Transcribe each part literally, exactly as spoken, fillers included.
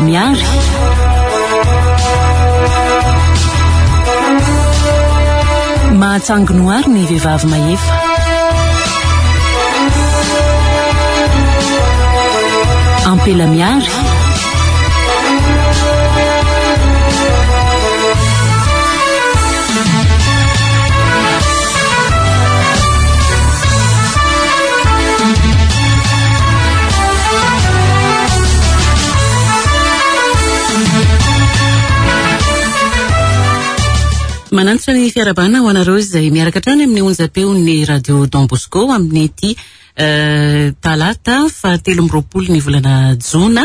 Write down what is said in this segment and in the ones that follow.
Ampela miary. Mahatsanginoary ny vehivavy mahefa. Ampela miary. Manantitra ny fiarahabana ho anareo izay miaraka hatrany amin'ny onjam-peon'ny Radio Don Bosco amin'ity talata fahatelo amby roapolo ny volana jona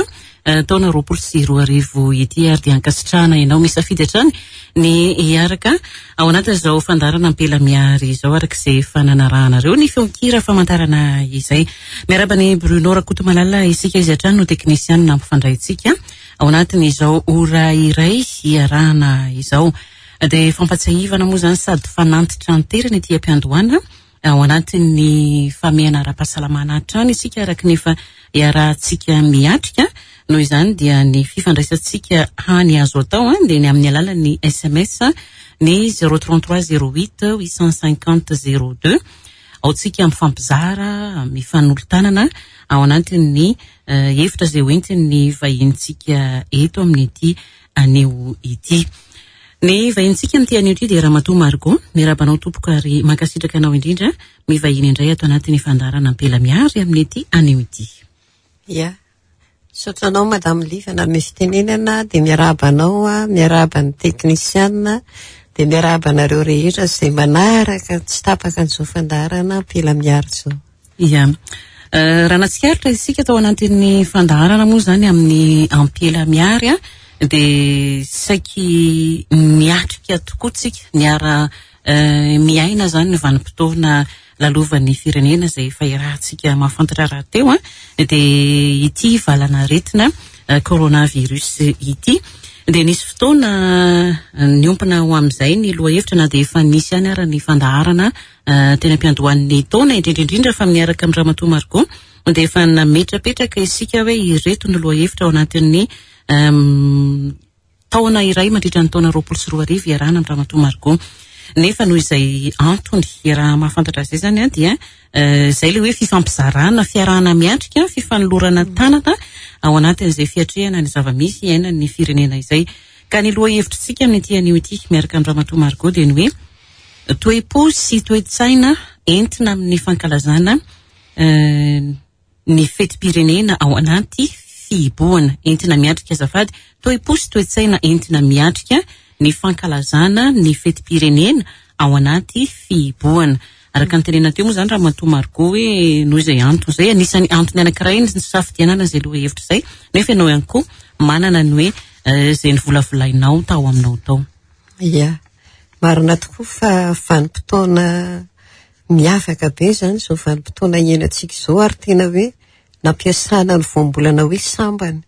taona roapolo sy roa arivo ity, ary dia ankasitrahana ianao misafidy hatrany ny hiaraka ao anatin'izao fandaharana Ampela miary izao, araka izay efa nanarahanareo ny feon-kira famantarana izay. Miarahaba ny Bruno Rakotomalala isika, izy hatrany no teknisianina ampifandraintsika ao anatin'izao ora iray hiarahana izao. Dia fampatsiahivana moa izany sady fanantitranterana ety am-piandohana ao anatin'ny famehana ara-pahasalamana hatrany isika, araka ny efa iarahantsika miatrika. Noho izany dia ny fifandraisantsika hany azo atao dia ny amin'ny alalan'ny S M S ny zéro trente-trois zéro huit huit cent cinquante zéro deux. Ao tsika mifampizara, mifanolo-tanana ao anatin'ny hevitra izay hoentin'ny vahinintsika eto amin'ity anio ity. Ny vahinintsika amin'ity anio ity dia Ramatoa Margot. Miarahaba anao tompoko ary mankasitraka anao indrindra mivahiny indray ato anatin'ny fandaharana Ampela miary amin'ity anio ity. Ia. Misaotra anao Madame Liva nanome fitenenana, dia miarahaba anao, miarahaba ny teknisiana, dia miarahaba anareo rehetra izay manaraka tsy tapaka an'izao fandaharana Ampela miary izao. Ia. Raha natsikaritra isika tao anatin'ny fandaharana moa izany amin'ny Ampela miary, dia saiky miatrika tokoa tsika, niara miaina izany ny vanim-potoana lalovan'ny firenena izay efa iarahantsika mahafantatra rahateo, dia ity valanaretina coronavirus ity. Dia nisy fotoana niompana ho amin'izay ny lohahevitra, na dia efa nisy ihany ara ny fandaharana teny am-piandohan'ny taona, indrindra indrindra fa miaraka amin'ny Ramatoa Margot, dia efa nametrapetraka isika hoe ireto ny lohahevitra ao anatin'ny taona iray mandritra ny taona roapolo sy roa arivo iarahana amin'ny Ramatoa Margot. Nefa noho izay antony raha mahafantatra izay izany, dia izay ilay hoe fifampizarana, fiarahana miatrika, fifanolorana tanana ao anatin'izay fiatrehana ny zava-misy iainan'ny firenena izay. Ka ny lohahevitritsika amin'ity anio ity miaraka amin'ny Ramatoa Margot dia ny hoe toe-po sy toe-tsaina entina amin'ny fankalazana ny fetim-pirenena ao anaty fihibohana. Entina miatrika azafady, toe-po sy toe-tsaina entina miatrika ny fankalazana ny fetim-pirenena ao anaty fihibohana. Araka ny tenena teo moa izany Ramatoa Margot hoe noho izay antony izay, anisan'ny antony anankiray ny safidianana izay lohahevitra izay, nefa ianao ihany koa manana ny hoe izay nivolavolainao tao aminao tao. Ia, marina tokoa fa vanim-potoana miavaka be izany izao vanim-potoana iainantsika izao, ary tena hoe nampiasana ny voambolana hoe sambany.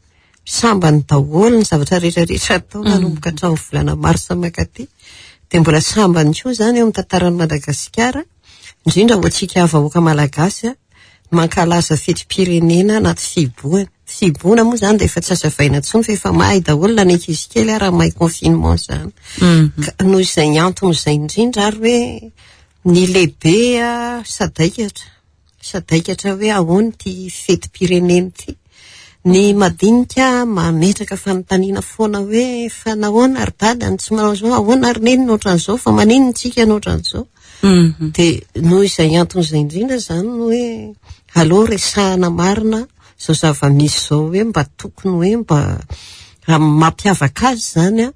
Sambany daholo ny zavatra rehetrarehetra atao nanomboka hatramin'ny volana marsa mankaty. Dia mbola sambany koa izany eo amin'ny tantaran'i Madagasikara, indrindra ho antsika vahoaka malagasy, mankalaza fetim-pirenena anaty fihibohana. Fihibohana moa izany dia efa tsy azavaina intsony fa efa mahay daholo na ny ankizy kely ary mahay confinement izany. Ka noho izay antony izay indrindra ary hoe ny lehibe sadaikatra. Sadaikatra hoe ahoana ity fetim-pirenena ity. Ny madinika mametraka fanontaniana foana hoe fa nahoana ry dada no tsy manao izao, ahoana ry neny no ohatran'izao, fa maninona tsika no ohatran'izao. Dia noho izay antony izay indrindra izany no hoe aleo resahana marina izao zava-misy izao, hoe mba tokony hoe mba mampiavaka azy izany,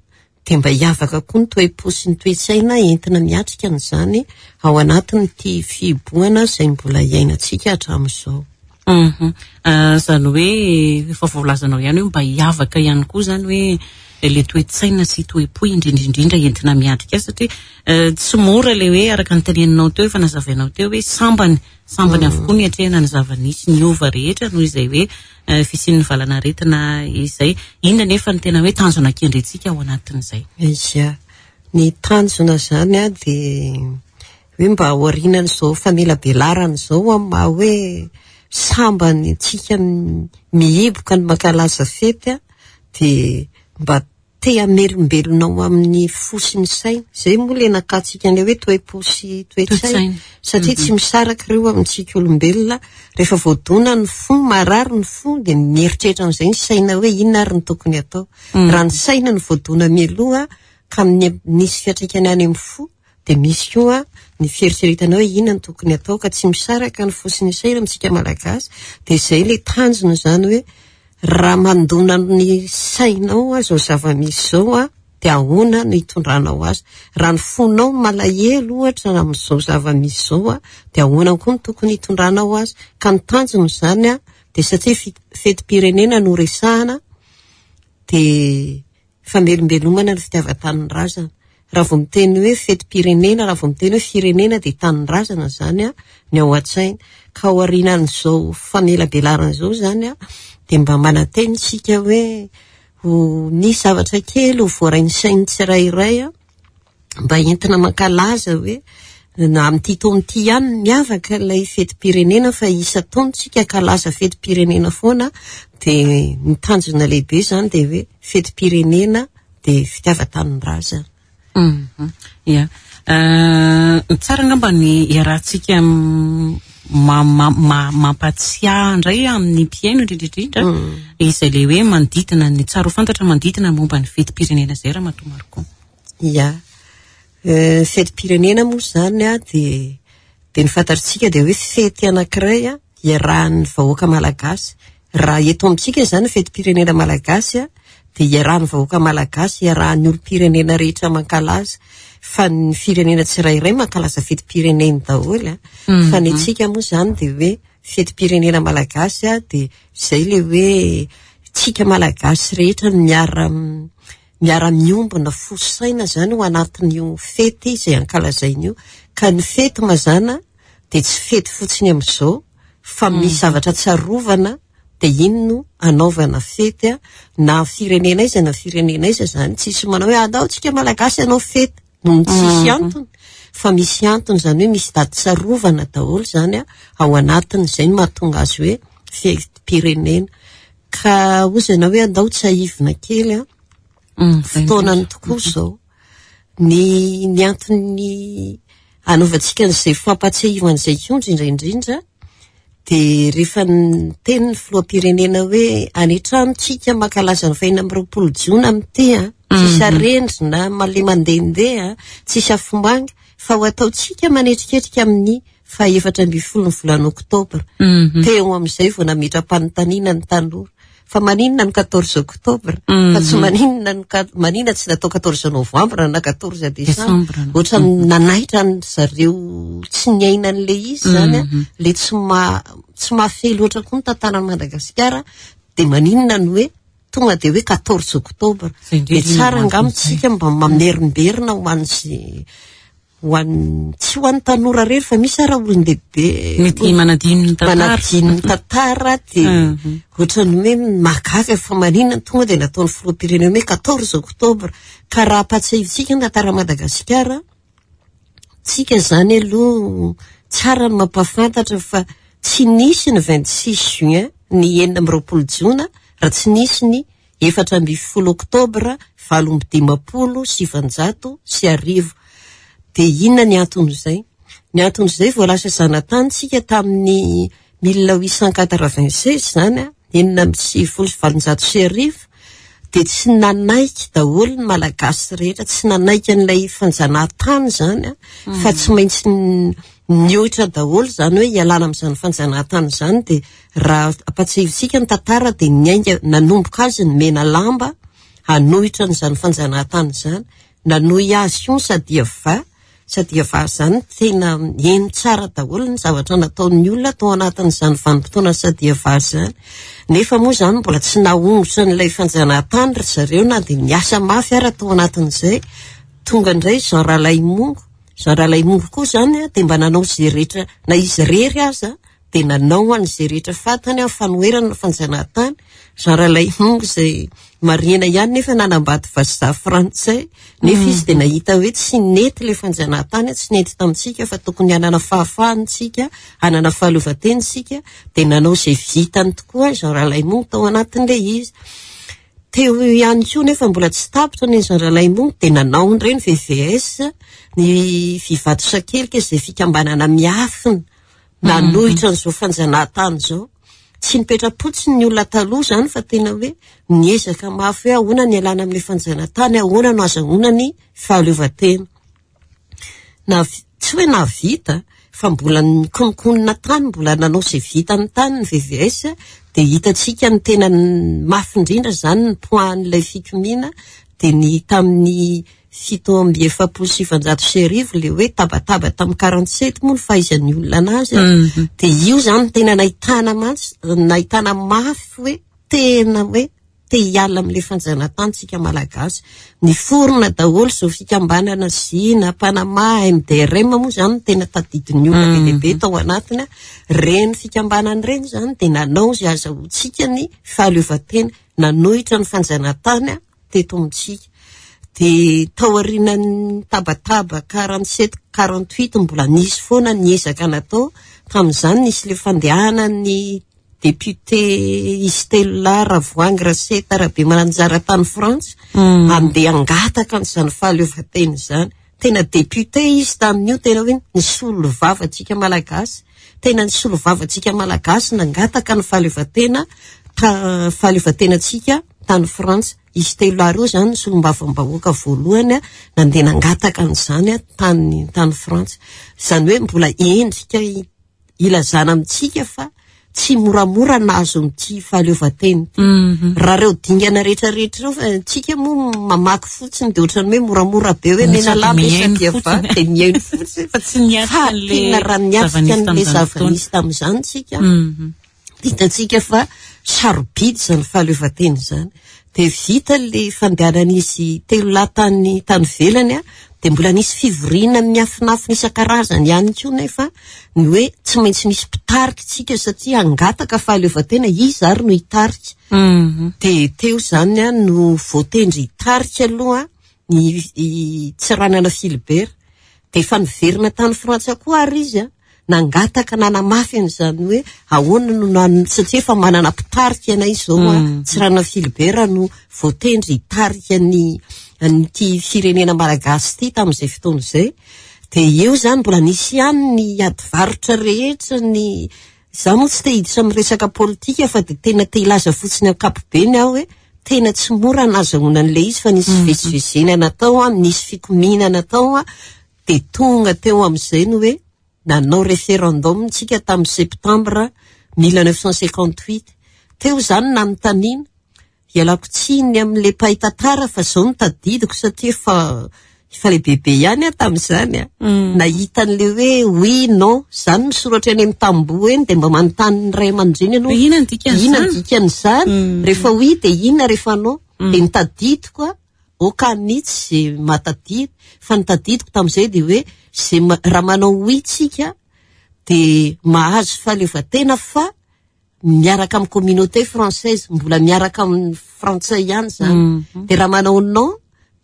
dia mba hiavaka koa ny toe-po sy ny toe-tsaina entina miatrika an'izany ao anatin'ity fihibohana izay mbola iainantsika hatramin'izao. Izany hoe efa voalazanao ihany hoe mba hiavaka ihany koa izany hoe ilay toe-tsaina sy toe-po indrindra indrindra entina miatrika azy, satria tsy mora ilay hoe araka ny teneninao teo, efa nazavainao teo hoe sambany, sambany avokoa ny atrehana ny zava-nisy niova rehetra noho izay hoe fisian'ny valanaretina izay. Inona nefa ny tena hoe tanjona kendrentsika ao anatin'izay? Ia, ny tanjona izany dia hoe mba aorianan'izao famelabelarana izao amin'ny maha hoe sambany tsika mihiboka ny mankalaza fety, Dia mba te hamelombelona ao amin'ny fo sy ny saina. Izay moa ilay nakatsika an'ilay hoe toe-po sy toe-tsaina. Satria tsy misaraka ireo amintsika olombelona. Rehefa voadona ny fo, marary ny fo, dia mieritreritra amin'izay ny saina hoe inona ary ny tokony atao. Raha ny saina no voadona mialoha ka misy fiantraikany any amin'ny fo, dia misy koa ny fieritreretana hoe inona no tokony atao, ka tsy misaraka ny fo sy ny saina amintsika Malagasy. Dia izay ilay tanjona izany hoe raha mandona ny sainao izao zava-misy izao a, dia ahoana no hitondranao azy. Raha ny fonao malahelo ohatra amin'izao zava-misy izao a, dia ahoana koa no tokony hitondranao azy. Ka ny tanjona izany a, dia satria fetim-pirenena no resahana, dia famelombelomana ny fitiavan-tanindrazana. Raha vao miteny hoe fetim-pirenena, raha vao miteny hoe firenena, dia tanindrazana izany a ny ao an-tsaina. Ka aorianan'izao famelabelarana izao izany a, dia mba manantena isika hoe ho nisy zavatra kely ho voarain'ny sain'ny tsirairay a, mba entina mankalaza hoe na amin'ity taona ity ihany miavaka ilay fetim-pirenena, fa isan-taona isika ankalaza fetim-pirenena foana. Dia ny tanjona lehibe izany dia hoe fetim-pirenena dia fitiavan-tanindrazana. Ia. Tsara angamba ny iarahantsika mampatsiahy indray amin'ny mpihaino indrindra indrindra izay ilay hoe manodidina ny tsara ho fantatra manodidina momba ny fetim-pirenena izay, Ramatoa Marco. Ia. Fetim-pirenena moa izany a, dia dia ny fantatsika dia hoe fety anankiray a iarahan'ny vahoaka malagasy. Raha eto amintsika izany fetim-pirenena malagasy a, dia iarahan'ny vahoaka malagasy, iarahan'ny olom-pirenena rehetra mankalaza. Fa ny firenena tsirairay mankalaza fetim-pirenena daholo a. Fa ny antsika moa izany dia hoe fetim-pirenena malagasy a, dia izay ilay hoe tsika malagasy rehetra miara miara-miombona fo saina izany ho anatin'io fety izay ankalazaina io. Ka ny fety mazàna dia tsy fety fotsiny amin'izao, fa misy zavatra tsarovana, dia iny no anaovana fety a. Na firenena aiza na firenena aiza izany, tsisy manao hoe andao tsika malagasy hanao fety no tsisy antony, fa misy antony izany hoe misy daty tsarovana daholo izany a ao anatin'izay no mahatonga azy hoe fetim-pirenena. Ka hozana hoe andao tsiahivina kely a, fotoanany tokoa izao. Ny ny antony anaovantsika an'izay fampatsiahivana izay koa indrindra indrindra, dia rehefa niteny ny filoham-pirenena hoe any an-trano tsika mankalaza ny fahenina amby roapolo jona amin'ity a, tsisy arendrina male mandehandeha, tsisy afomanga, fa ho ataontsika manetriketrika amin'ny fahaefatra ambin'ny folo ny volana oktobra. Teo amin'izay vao nametra-panontaniana ny tanora. Fa maninona ny quatorze octobre? Fa tsy maninona ny maninona tsy natao quatorze novembre na quatorze décembre? Ohatra nanaitra ny zareo tsy niaina an'ilay izy izany a, le tsy ma tsy mahafehy loatra koa ny tantaran'i Madagasikara, dia maninona ny hoe tonga dia hoe quatorze octobre? Dia tsara angamba tsika mba mamerimberina ho an'izay ho an'ny tsy ho an'ny tanora rery, fa misy ara olon-dehibe mety manadino ny tantara, manadino ny tantara, dia ohatran'ny hoe mahagaga fa maninona tonga dia nataon'ny filoham-pirenena hoe quatorze octobre. Ka raha ampatsiahivintsika ny tantara Madagasikara, tsika izany aloha tsara ny mampahafantatra fa tsy nisy ny vingt-six juin ny enina amby roapolo jona raha tsy nisy ny efatra ambin'ny folo oktobra valo amby dimampolo sivanjato sy arivo. Dia inona ny anton'izay? Ny anton'izay vao lasa zanatany tsika tamin'ny mille huit cent quatre-vingt-seize izany a, enina amby sivifolo sy valonjato sy arivo, dia tsy nanaiky daholo ny Malagasy rehetra, tsy nanaiky an'ilay fanjanahantany izany a, fa tsy maintsy nihoatra daholo izany hoe hialana amin'izany fanjanahantany izany. Dia raha ampatsiahivintsika ny tantara dia niainga nanomboka azy ny mena lamba hanohitra an'izany fanjanahantany izany, nanohy azy koa ny sadiava. Sadiava izany tena heno tsara daholo ny zavatra nataon'ny olona tao anatin'izany vanim-potoana sadiava izany. Nefa moa izany mbola tsy nahongotra an'ilay fanjanahantany ry zareo na dia niasa mafy ara tao anatin'izay. Tonga indray Jean Ralaimongo. Jean Ralaimongo koa izany dia mba nanao izay rehetra, na izy irery aza dia nanao an'izay rehetra fantany amin'ny fanoherana ny fanjanahantany. Jean Ralaimongo izay marihina ihany nefa nanambady vazaha frantsay, nefa izy dia nahita hoe tsy nety ilay fanjanahantany, tsy nety tamintsika fa tokony hanana fahafahana isika, hanana fahaleovantena isika, dia nanao izay vitany tokoa Jean Ralaimongo tao anatin'ilay izy. Teo ihany koa nefa mbola tsy tapitra ny Ralaimongo dia nanao indray ny V V S, ny Vivato Sakelika, izay fikambanana miafina nanohitra an'izao fanjanahantany izao. Tsy nipetra-potsiny ny olona taloha izany fa tena hoe niezaka mafy hoe ahoana ny ialana amin'ilay fanjanahantany, ahoana no azahoana ny fahaleovantena. Na tsy hoe nahavita fa mbola nikononkonona tany, mbola nanao izay vitany tany ny V V S, dia hitantsika ny tena mafy indrindra izany ny poahan'ilay fikomiana, dia ny tamin'ny fito amby efapolo sy sivanjato sy arivo ilay hoe tabataba tamin'ny quarante-sept moa ny fahaizan'ny olona anazy. Dia io izany tena nahitana mantsy, nahitana mafy hoe tena hoe te hiala amin'ilay fanjanahantany tsika malagasy. Niforona daholo izao fikambanana Zina, Panama, M D R M moa izany tena tadidin'ny olona be dia be tao anatiny. Ireny fikambanana ireny izany dia nanao izay azahoantsika ny fahaleovantena, nanohitra ny fanjanahantany teto amintsika. Dia tao aorian'ny tabataba quarante-sept, quarante-huit mbola nisy foana ny ezaka natao. Tamin'izany nisy ilay fandehanan'ny député izy telo lahy, Ravoahangy, Raseta, Rabemananjara tany Frantsa, handeha hangataka an'izany fahaleovantena izany. Tena député izy tamin'io, tena hoe nisolo vava antsika malagasy, tena nisolo vava antsika malagasy nangataka ny fahaleovantena, ta-, fahaleovantenantsika tany Frantsa. Izy telo lahy ireo izany solombavambahoaka voalohany nandeha nangataka an'izany tany, tany Frantsa. Izany hoe mbola endrika ilazana amintsika fa tsy moramora nahazo an'ity fahaleovantena ity. Raha ireo dingana rehetrarehetra ireo, fa tsika moa mamaky fotsiny dia ohatran'ny hoe moramora be hoe Sady mena lamba mihaino sady fotsiny. ava, dia mihaino fotsiny. Fa tsy niatrika Fa an'ilay tena raha niatrika zava-nisy an'ilay tamin'izany zava-nisy fotoana. tamin'izany tsika, Mhm. hitantsika fa sarobidy izany fahaleovantena izany. Dia vita ilay fandehanan'izy telo lahy tany, tany ivelany, dia mbola nisy fivoriana miafinafina isan-karazany ihany koa nefa ny hoe tsy maintsy misy mpitarika tsika satria hangataka fahaleovantena, iza ary no hitarika. Mhm. Dia teo izany a, no voatendry hitarika aloha ny, i Tsiranana Philibert. Dia efa niverina tany Frantsa koa ary izy a, nangataka nanamafy an'izany hoe ahoana no nan-, satria efa manana mpitarika anay izao a, Mm. Tsiranana Philibert no voatendry hitarika ny, an'ity firenena malagasy ity tamin'izay fotoana izay. Dia eo izany mbola nisy ihany ny ady varotra rehetra, ny izaho moa tsy te hiditra amin'ny resaka politika fa dia tena te hilaza fotsiny ankapobeny aho hoe tena tsy mora nahazoana an'ilay izy fa nisy Mm. fivezivezena natao a, nisy fikomiana natao a, dia tonga teo amin'izay ny hoe nanao référendum tsika tamin'ny septembre mille neuf cent cinquante-huit. Teo izany nanontaniana, ialako tsiny amin'ilay mpahay tantara fa izao no tadidiko satria efa, efa lehibebe ihany aho tamin'izany a. Mm. Nahita an'ilay hoe oui, non, izany misoratra eny amin'ny tamboho eny dia mba manontany ny ray aman-dreny ianao. Hoe inona ny dikan'izany? Inona ny dikan'izany? Mm. Rehefa oui dia inona, rehefa non? Mm. Dia nitadidiko a, oka mihitsy izay mahatadidy, fa nitadidiko tamin'izay dia hoe izay ma-, raha manao oui tsika dia mahazo fahaleovantena fa miaraka amin'ny communauté française, mbola miaraka amin'ny frantsay ihany izany. Mm. Dia raha manao non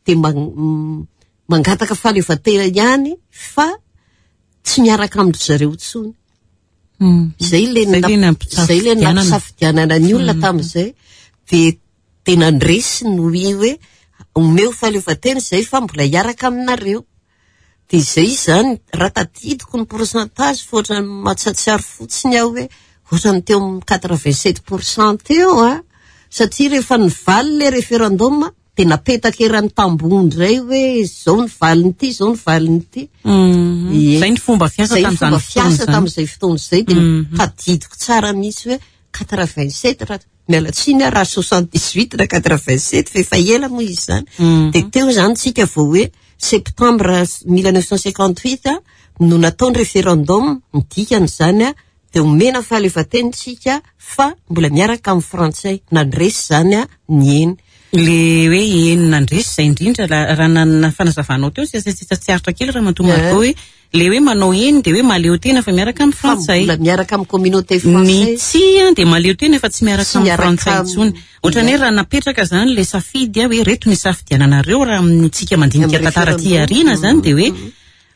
dia man-, m-, mangataka fahaleovantena ihany fa tsy miaraka amin-dry zareo intsony. Mm. Izay ilay Izay ilay nap-, izay ilay nampisafidianana. nampisafidianana ny olona Mm. tamin'izay. Dia tena nandresy ny oui hoe omeo fahaleovantena izay fa mbola hiaraka aminareo. Dia izay izany, raha tadidiko ny pourcentage fa ohatran'ny mahatsiarotsiaro fotsiny aho hoe ohatran'ny teo amin'ny quatre-vingt-sept pour cent teo a, satria rehefa nivaly ilay référendum dia napetaka eran'ny tamboho indray hoe izao ny valin'ity, izao ny valin'ity. Mm. Ie. Izay ny fomba fiasa Izay ny tamin'izany fomba fiasa fotoana izany. tamin'izay fotoana izay, dia Mm. tadidiko tsara mihitsy hoe quatre-vingt-sept, raha miala tsiny aho raha soixante-dix-huit na quatre-vingt-sept, fa efa ela moa izy izany. Mm. Dia teo izany tsika vao hoe septembre mille neuf cent cinquante-huit a, no natao ny référendum, ny dikan'izany a, dia omena fahaleovantena tsika fa mbola miaraka amin'ny frantsay. Nandresy izany a, ny eny. Le hoe eny nandresy izay indrindra, la-, raha nanana fanazavanao teo, sy tsy tsy aritra kely raha matoa Ie. Margot hoe le hoe manao eny dia hoe mahaleo tena fa miaraka amin'ny Fa frantsay. mbola miaraka amin'ny communauté Ny française. tsia dia mahaleo tena fa tsy miaraka Tsy amin'ny miaraka frantsay amin'ny intsony. Ohatran'ny hoe raha napetraka izany le safidy a, hoe reto ny safidiananareo raha amintsika mandinika Amin'ny tantara aty référendum. aoriana izany dia hoe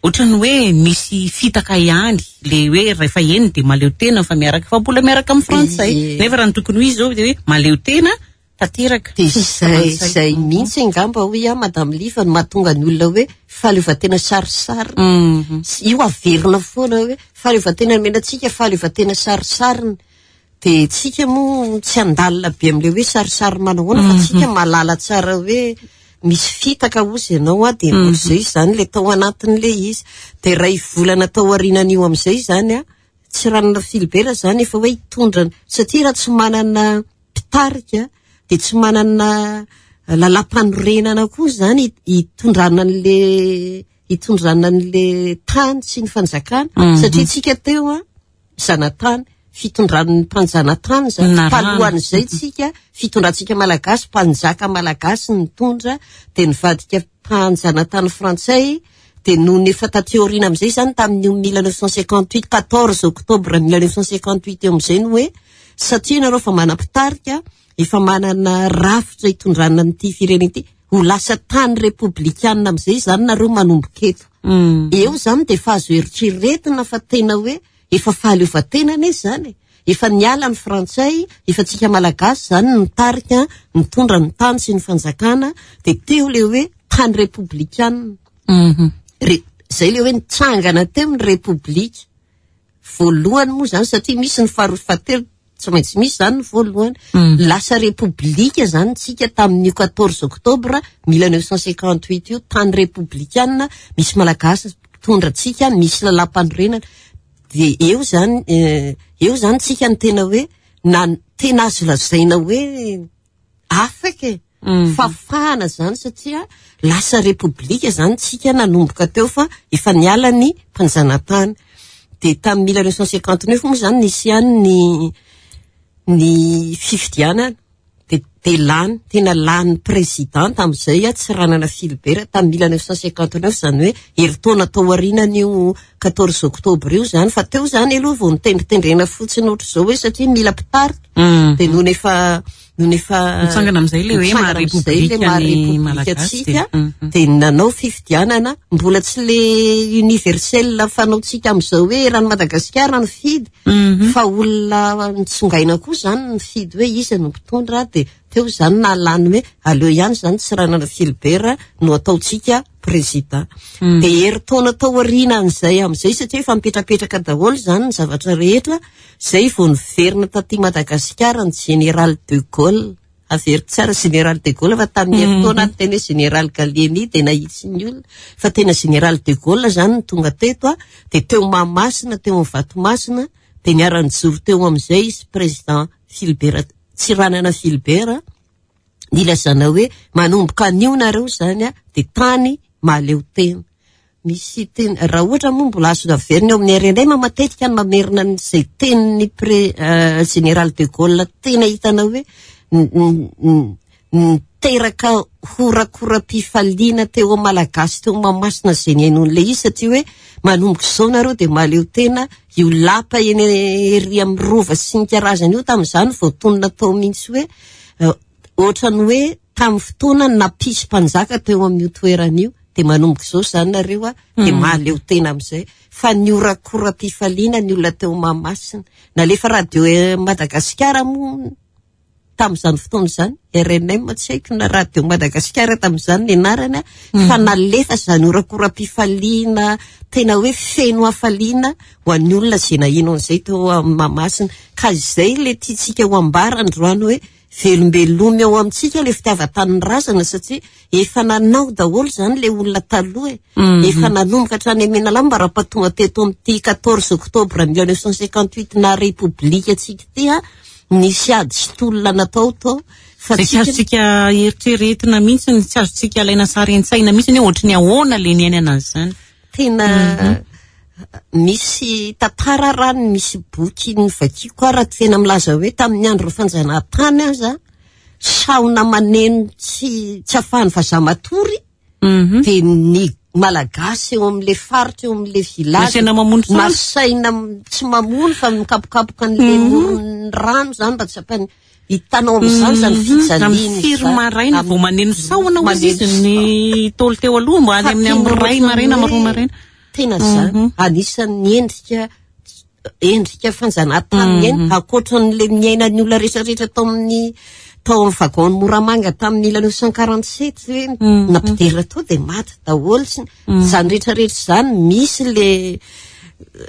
ohatran'ny hoe misy fitaka ihany le hoe rehefa eny dia mahaleo tena fa miaraka, fa mbola miaraka amin'ny frantsay. Ie. Nefa raha ny tokony ho izy izao dia hoe mahaleo tena Tanteraka. De zay zay mihitsy angamba hoy aho, Madame Liva, no mahatonga ny olona hoe fahaleovantena sarisarina. Mhm. Io averina foana hoe fahaleovantena nomenantsika, fahaleovantena sarisarina. De tsika moa tsy andalina be amin'ilay hoe sarisary manahoana, fa tsika mahalala tsara hoe misy fitaka ozy ianao a, de ohatr'izay zany le tao anatin'le izy. De ray volana tao aorianan'io amin'izay zany a, Tsiranana Philibert zany efa hoe hitondrana, satria raha tsy manana mpitarika de tsy manana lalam-panorenana koa zany hitondrana an'le hitondrana an'le tany sy ny fanjakana, satria tsika teo a zanatany, fitondran'ny mpanjanatany zany. Narahana. Talohan'izay tsika, fitondrantsika malagasy, mpanjaka malagasy nitondra, de nivadika mpanjanatany frantsay. De noho ny efa taty aoriana amin'izay zany, tamin'io mille neuf cent cinquante-huit, quatorze octobre mille neuf cent cinquante-huit eo amin'izay no hoe satria nareo efa manam-pitarika, efa manana rafitra hitondrana an'ity firenena ity, ho lasa tany repoblikanina amin'izay zany nareo manomboka eto. Mm. Eo zany de efa azo eritreretina fa tena hoe efa fahaleovantena ane zany. Efa niala ny frantsay, efa tsika malagasy zany nitarika, nitondra ny tany sy ny fanjakana, de teo le hoe tany repoblikanina. Mhm. Re, zay le hoe nitsangana teo ny repoblika. Voalohany moa zany, satria misy ny faharoa fahatelo, tsy maintsy misy zany ny voalohany. Mm. Lasa repoblika zany tsika tamin'io quatorze octobre mille neuf cent cinquante-huit io, tany repoblikanina, misy malagasy mpitondra antsika, misy lalam-panorenana. De eo zany, eh, eo zany tsika ny tena hoe na tena azo lazaina hoe afaka e. Mm. Fahafahana zany, satria lasa repoblika zany tsika nanomboka teo, fa efa niala ny mpanjanatany. De tamin'ny mille neuf cent cinquante-neuf moa zany nisy ihany ny ny fifidianana, de, de lany, tena lany président tamin'izay a Tsiranana Philibert tamin'ny mille neuf cent cinquante-neuf, zany hoe herintaona tao aorianan'io quatorze octobre io zany. Fa teo zany aloha vao nitendritendrena fotsiny ohatr'izao hoe satria mila mpitarika. Mm. De nony efa nony efa Nitsangana amin'izay le hoe nitsangana maha amin'izay le repoblika maha ny repoblika Malagasy antsika, de- Mhm. de nanao fifidianana, mbola tsy le universel fanaontsika amin'izao hoe raha ny Madagasikara ny fidy, Mhm. fa olona nitsongaina koa zany ny fidy hoe iza no mpitondra. De teo zany nahalany hoe aleo ihany zany Tsiranana Philibert no ataontsika président. Mm. De herintaona tao aorianan'izay amin'izay, satria efa mipetrapetraka daholo zany ny zavatra rehetra, zay vao niverina taty Madagasikara ny général de Gaulle. Averiko tsara, général de Gaulle, fa tamin'ny herintaona ny tena hoe général Gallieni de nahitsy ny olona, fa tena général de Gaulle zany no tonga teto a. De teo Mahamasina, teo amin'ny Vatomasina, de niara-nijoro teo amin'izay izy président Philibert Tsiranana Philibert, nilazana hoe manomboka anio nareo zany a de tany mahaleo tena. Misy teny, raha ohatra moa mbola azo averina eo amin'ny R N M, matetika ny mamerina an'izay tenin'ny pré-, euh, général de Gaulle, tena hitanao hoe n-, n-, n-, niteraka horakoram-pifaliana teo amin'ny Malagasy teo Mahamasina izay nihainoan'ilay izy, satria hoe manomboka izao nareo de mahaleo tena. Io lapa eny ery amin'ny rova sy ny karazany io tamin'izany vao tonona tao mihitsy hoe, euh, ohatrany hoe tamin'ny fotoana nampisy mpanjaka teo amin'io toerana io, de manomboka izao zany nareo a de Mm. mahaleo tena amin'izay. Fa ny horakoram-pifaliana ny olona teo Mahamasina, nalefa radio Madagasikara moa tamin'izany fotoana izany, R N M tsy haiko na radio Madagasikara tamin'izany ny anarany, Mm. fa nalefa zany horakoram-pifaliana tena hoe feno hafaliana ho an'ny olona izay naheno an'izay teo amin'ny Mahamasina. Ka izay le tiantsika ho ambara androany hoe velombeloma eo amintsika le fitiavan-tanindrazana, satria efa nanao daholo zany le olona taloha e. Mm-hmm. Efa nanomboka hatrany Menalamba raha tonga teto amin'ity quatorze octobre mille neuf cent cinquante-huit na repoblika antsika ity a, nisy ady sy tolona natao tao. Fa Zay tsy tsika azontsika eritreretina mihitsy, tsy azontsika alaina sary an-tsaina mihitsy hoe ohatry ny ahoana le niainana an'izany. Tena Mm-hmm. misy tantara raha ny misy boky novakiako raha tena milaza hoe tamin'ny andro fanjanahantany aza saona maneno tsy, tsy ahafahan'ny vazaha matory, Mm-hmm. de ny Malagasy eo amin'le faritra, eo amin'le village, Nasaina mamono saona. nasaina m-, tsy mamono fa mikapokapoka an'le Mm-hmm. moron'ny rano zany mba tsy ampany hitanao amin'izany zany Mm-hmm. fijaliana Amin'ny firy izany. maraina vao maneno saona hozy Maneno izy ny taolo teo aloha, mba any amin'ny Fa amin'ny tena iray maraina, ohatran'ny roa maraina. Tena zany. Mm-hmm. Anisan'ny endrika, endrika fanjanahantany Mm-hmm. eny, ankoatran'le miaina ny olona rehetrarehetra tao amin'ny, Tao amin'ny wagon Moramanga tamin'ny mille neuf cent quarante sept hoe nampidirina tao dia maty daholo sy izany rehetrarehetra izany. Misy le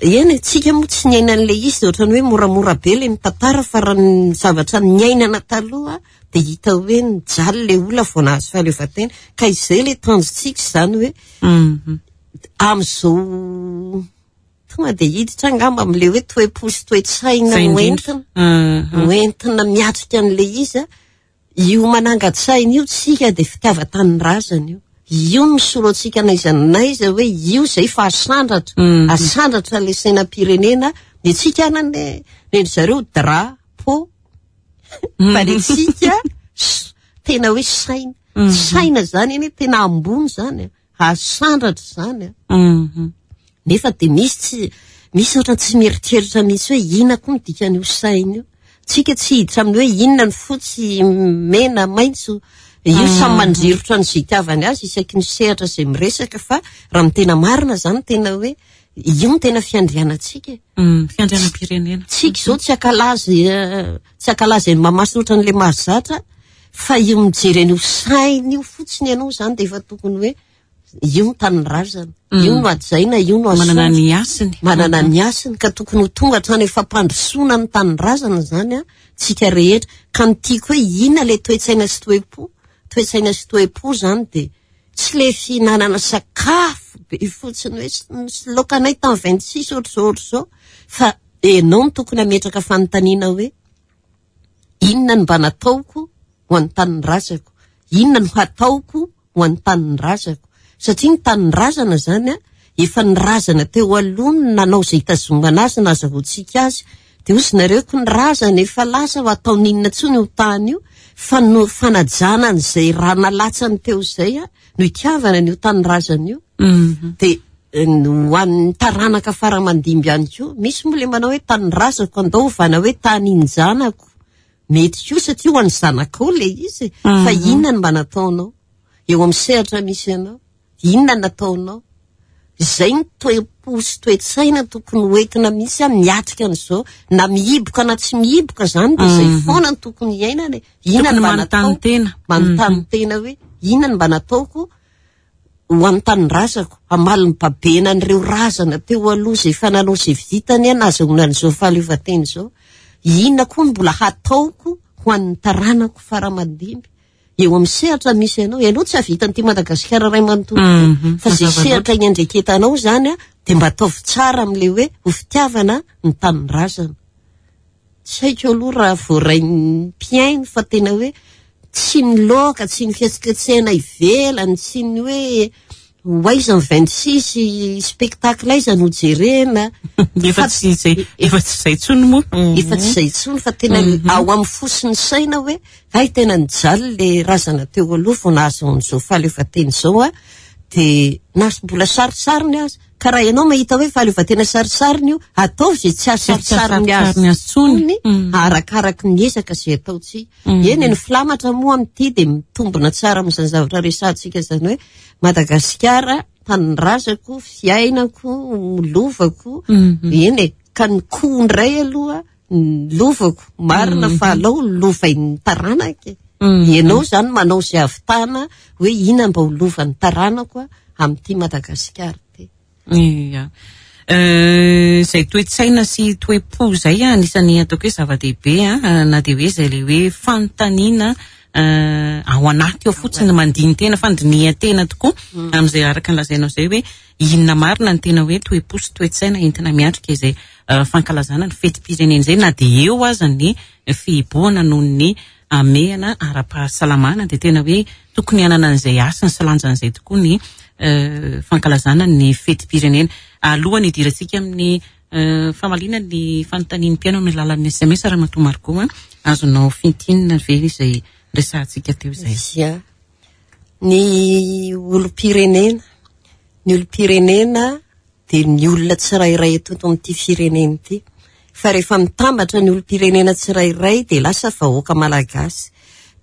eny, tsika moa tsy niaina an'le izy, dia ohatrany hoe moramora be le mitantara, fa raha ny zavatra niainana taloha dia hita hoe nijaly le olona vao nahazo fahaleovantena. Ka izay le tanjontsika izany hoe amin'izao tonga dia hiditra angamba amin'le hoe toe-po sy toe-tsaina hoentina hoentina miatrika an'le izy. Io manangan-tsaina io tsika dia fitiavan-tanindrazana io. Io no misolo antsika n'aiza n'aiza hoe io izay fa asandratra, asandratra le sainam-pirenena. Ny antsika anany ny zareo drapeau, fa ny antsika tena hoe saina. Saina zany eny tena ambony zany, asandratra zany. Nefa dia misy tsy misy ohatra tsy mieritreritra mihitsy hoe inona koa ny dikan'io saina io. Tsika tsy hiditra amin'ny hoe inona ny fotsy, mena, maitso. Io samy mandrirotra ny izay itiavany azy isaky ny sehatra izay miresaka, fa raha ny tena marina zany tena hoe io no tena fiandrianantsika. Fiandrianam-pirenena. Tsika izao tsy ankalaza tsy ankalaza eny Mahamasina ohatran'ilay mahazatra, fa io mijery an'io saina io fotsiny ianao zany dia efa tokony hoe io no tanindrazana, io no hajaina, io no manana ny hasiny. Manana ny hasiny, ka tokony ho tonga hatrany efa fampandrosoana ny tanindrazana zany a tsika rehetra. Ka ny tiako hoe inona le toe-tsaina sy toe-po? Toe-tsaina sy toe-po zany dia tsy le fihinanana sakafo be fotsiny hoe misy laoka anay tamin'ny vingt six ohatr'izao ohatr'izao, fa ianao no tokony hametraka fanontaniana hoe inona no mba nataoko ho an'ny tanindrazako, inona no hataoko ho an'ny tanindrazako, satria ny tanindrazana zany a efa ny razana teo aloha no nanao izay hitazomana azy, nahazahoantsika azy. Dia hozy nareo ko ny razana efa lasa ho ataon'inona intsony io tany io, fa no fanajana an'izay raha nalatsany teo izay a no itiavana an'io tanindrazana io. Dia ho an'ny taranaka faramandimby ihany koa, misy moa le manao hoe tanindrazako andao ovana hoe tanin-janako, mety koa satria ho an'ny zanakao le izy. Fa inona no mba nataonao eo amin'ny sehatra misy anao, inona no nataonao? Izay ny toe-po sy toe-tsaina tokony hoentina mihitsy a miatrika an'izao, na mihiboka na tsy mihiboka zany dia izay foana no tokony hiainana. Inona no mba natao? Tena manontany tena hoe inona no mba nataoko ho an'ny tanindrazako, hamaly ny babena an'ireo razana teo aloha izay efa nanao izay vitany a nahazoana an'izao fahaleovantena izao, inona koa no mbola hataoko ho an'ny taranako faramandimby eo amin'ny sehatra misy anao? Ianao tsy hahavita an'ity Madagasikara ray manontolo ity, fa izay sehatra iandraiketanao zany a dia mba ataovy tsara amin'ilay hoe ho fitiavana ny tanindrazana. Tsy haiko aloha raha voarain'ny mpihaino, fa tena hoe tsy ny loka, tsy ny fihetsiketsehana ivelany, tsy ny hoe ho aiza ny vingt six spectacle aiza no jerena. Efa tsy izay, efa tsy izay intsony moa. Efa tsy izay intsony, fa tena ao amin'ny fo sy ny saina hoe hay tena nijaly le razana teo aloha vao nahazo an'izao fahaleovantena izao a, dia na mbola sarisariny azy. Ka raha ianao mahita hoe fahaleovantena sarisariny io, ataovy izay tsy hahasarisariny azy intsony, arakaraky ny ezaka izay ataontsika. Eny, ny filamatra moa amin'ity dia mitombina tsara amin'izany zavatra resahantsika izany hoe Madagasikara tanindrazako, fiainako, lovako. Eny, ka ny koa indray aloha ny lovako marina fa alao lovain'ny taranaka. Ianao zany manao izay ahavitana hoe inona mba ho lovan'ny taranako amin'ity Madagasikara ity. Ia. Izay toe-tsaina sy toe-po izay anisan'ny ataoko hoe zava-dehibe, na dia hoe izay le hoe fanontaniana ao anaty ao fotsiny, mandini-tena, fandinihan-tena tokoa amin'izay araka ny lazainao izay hoe inona marina ny tena hoe toe-po sy toe-tsaina entina miatrika izay fankalazana ny fetim-pirenena izay, na dia eo aza ny fihibohana noho ny hamehana ara-pahasalamana, dia tena hoe tokony hanana an'izay hasiny sy lanjan'izay tokoa ny fankalazana ny fetim-pirenena. Alohan'ny hidirantsika amin'ny famaliana ny fanontanian'ny mpihaino amin'ny alalan'ny S M S, Ramatoa Margot, azonao fintinina ve izay resahantsika teo izay? Ia. Ny olom-pirenena, ny olom-pirenena dia ny olona tsirairay eto amin'ity firenena ity. Fa rehefa mitambatra ny olom-pirenena tsirairay dia lasa vahoaka malagasy.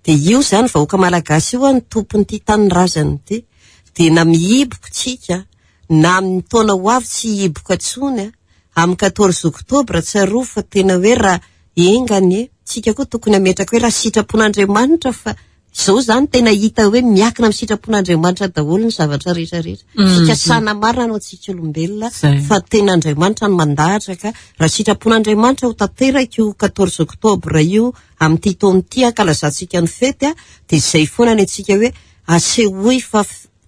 Dia io zany vahoaka malagasy io ny tompon'ity tanindrazana ity. Dia na mihiboka tsika, na amin'ny taona ho avy tsy hihiboka intsony, amin'ny quatorze octobre tsarovy fa tena hoe raha enga anie, Tsika koa tokony hametraka hoe raha sitrapon'Andriamanitra, fa izao zany tena hita hoe miakina amin'ny sitrapon'Andriamanitra daholo ny zavatra rehetra rehetra. Fikasana marina no antsika olombelona, fa tena Andriamanitra no mandahatra, ka raha sitrapon'Andriamanitra ho tanteraka io quatorze octobre io amin'ity taona ity ankalazantsika ny fety, a dia izay foana ny antsika hoe asehoy fa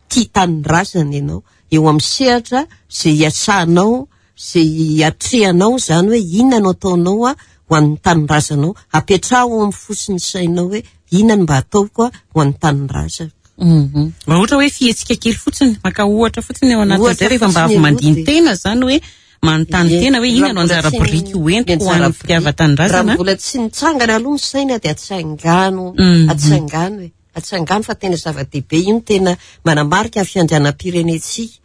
tia tanindrazana ianao eo amin'ny sehatra izay iasanao, izay iatrehanao, zany hoe inona no ataonao a ho an'ny tanindrazanao. Apetraho amin'ny fo sy ny sainao hoe inona no mba ataoko a ho an'ny tanindrazana. Mba ohatra hoe fihetsika kely fotsiny, maka ohatra fotsiny ao anatin'izay, rehefa mba avy mandini-tena zany hoe manontany tena hoe inona no anjara biriky ho entiko ho an'ny fitiavan-tanindrazana. Raha mbola tsy nitsangana aloha ny saina dia atsangano, atsangano e, atsangano, fa tena zava-dehibe io, no tena manamarika ny fiandrianam-pirenentsika.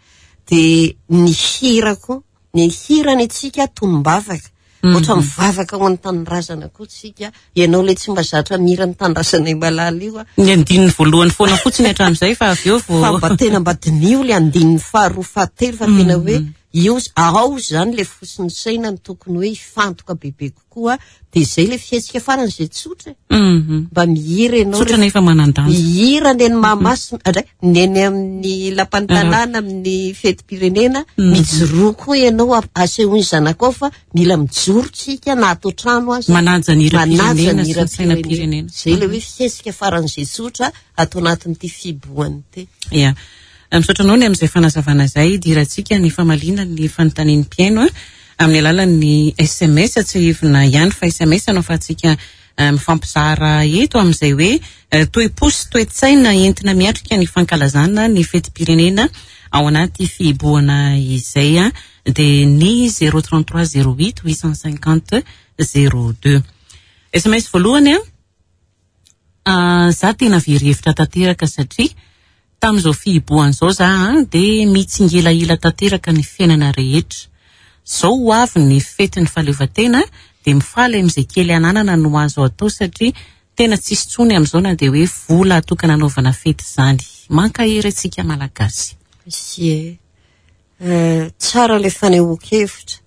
Dia ny hira koa, ny hirany antsika tonom-bavaka, ohatra mivavaka ho an'ny tanindrazana koa tsika. Ianao ilay tsy mba zatra mihira ny tanindrazanay malala io a, ny andininy voalohany foana fotsiny hatramin'izay, fa avy eo vao fa mba tena mba diniho ilay andininy faharoa, fahatelo, fa tena hoe io ao zany ilay fo sy ny saina no tokony hoe hifantoka bebe kokoa. Dia izay ilay fihetsika faran'izay tsotra, mba mihira ianao. Tsotra nefa manan-danja. Mihira ny eny Mahamasina indray, ny eny amin'ny lapan'ny-tanàna amin'ny fetim-pirenena, mijoroa koa ianao, asehoy ny zanakao fa mila mijoro tsika na ato an-trano aza. Manaja ny Manaja hiram-pirenena ny sy ny sainam-pirenena. Izay ilay hoe fihetsika faran'izay tsotra ato anatin'ity fihibohana ity. Ia. Misaotra anao ny amin'izay fanazavana izay. Idirantsika ny famaliana ny fanontanian'ny mpihaino amin'ny alalan'ny S M S. Tsiahivina ihany fa S M S no ahafahantsika mifampizara eto amin'izay hoe toe-po sy toe-tsaina entina miatrika ny fankalazana ny fetim-pirenena ao anaty fihibohana izay, dia ny zéro trente-trois zéro huit huit cent cinquante zéro deux. S M S voalohany a, za tena very hevitra tanteraka satria tamin'izao fihibohana izao za dia mitsingilahila tanteraka ny fiainana rehetra. Zao ho avy ny fetin'ny fahaleovantena dia mifaly amin'izay kely ananana no azo atao satria tena tsisy intsony amin'izao na dia hoe vola atokana anaovana fety izany. Mankahery antsika Malagasy. Ie. Tsara ilay fanehoan-kevitra.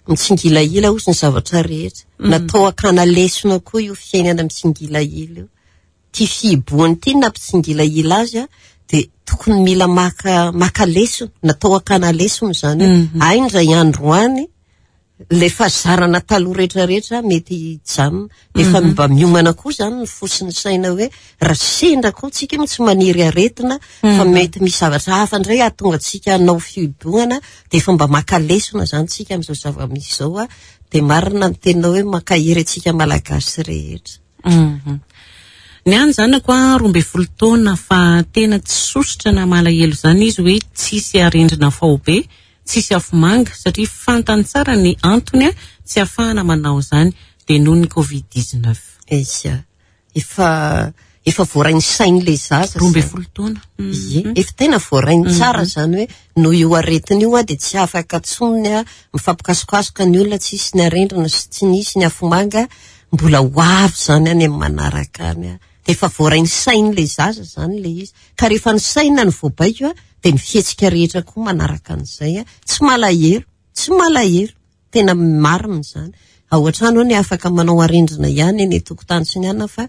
Mitsingilahila hozy ny zavatra rehetra. Natao hakana lesona koa io fiainana mitsingilahila io. Ty fihibohana ity nampitsingilahila azy a, dia tokony mila maka, maka lesona, natao hakana lesona izany hoe ay indray andro any ilay fahazarana taloha rehetrarehetra mety hijanona. Efa mba miomana koa izany ny fo sy ny saina hoe raha sendra koa tsika moa tsy maniry aretina, fa mety misy zavatra hafa indray hahatonga antsika hanao fihibohana, dia efa mba maka lesona izany tsika amin'izao zava-misy izao a. Dia marina ny teninao hoe mankahery antsika Malagasy rehetra. Ny any zanako a, roa ambin'ny folo taona, fa tena tsy sosotra na malahelo izany izy hoe tsisy arendrina faobe, tsisy afomanga, satria fantany tsara ny antony a, tsy ahafahana manao izany, dia noho ny covid dix-neuf. Izy, efa, efa voarain'ny sain'ilay zaza Roa ambin'ny izany. folo taona. Ie, efa tena voarainy tsara izany hoe noho io aretina io a, dia tsy afaka intsony a, mifampikasokasoka ny olona, tsisy ny arendrina sy tsy nisy ny afomanga, mbola ho avy izany any amin'ny manaraka any a. Dia efa voarain'ny sain'ilay zaza izany ilay izy. Ka rehefa ny saina no voabaiko a, dia ny fihetsika rehetra koa manaraka an'izay a. Tsy malahelo, tsy malahelo, tena marina izany. Ao an-trano ao ny afaka manao arendrina ihany eny an-tokotany sy ny anona, fa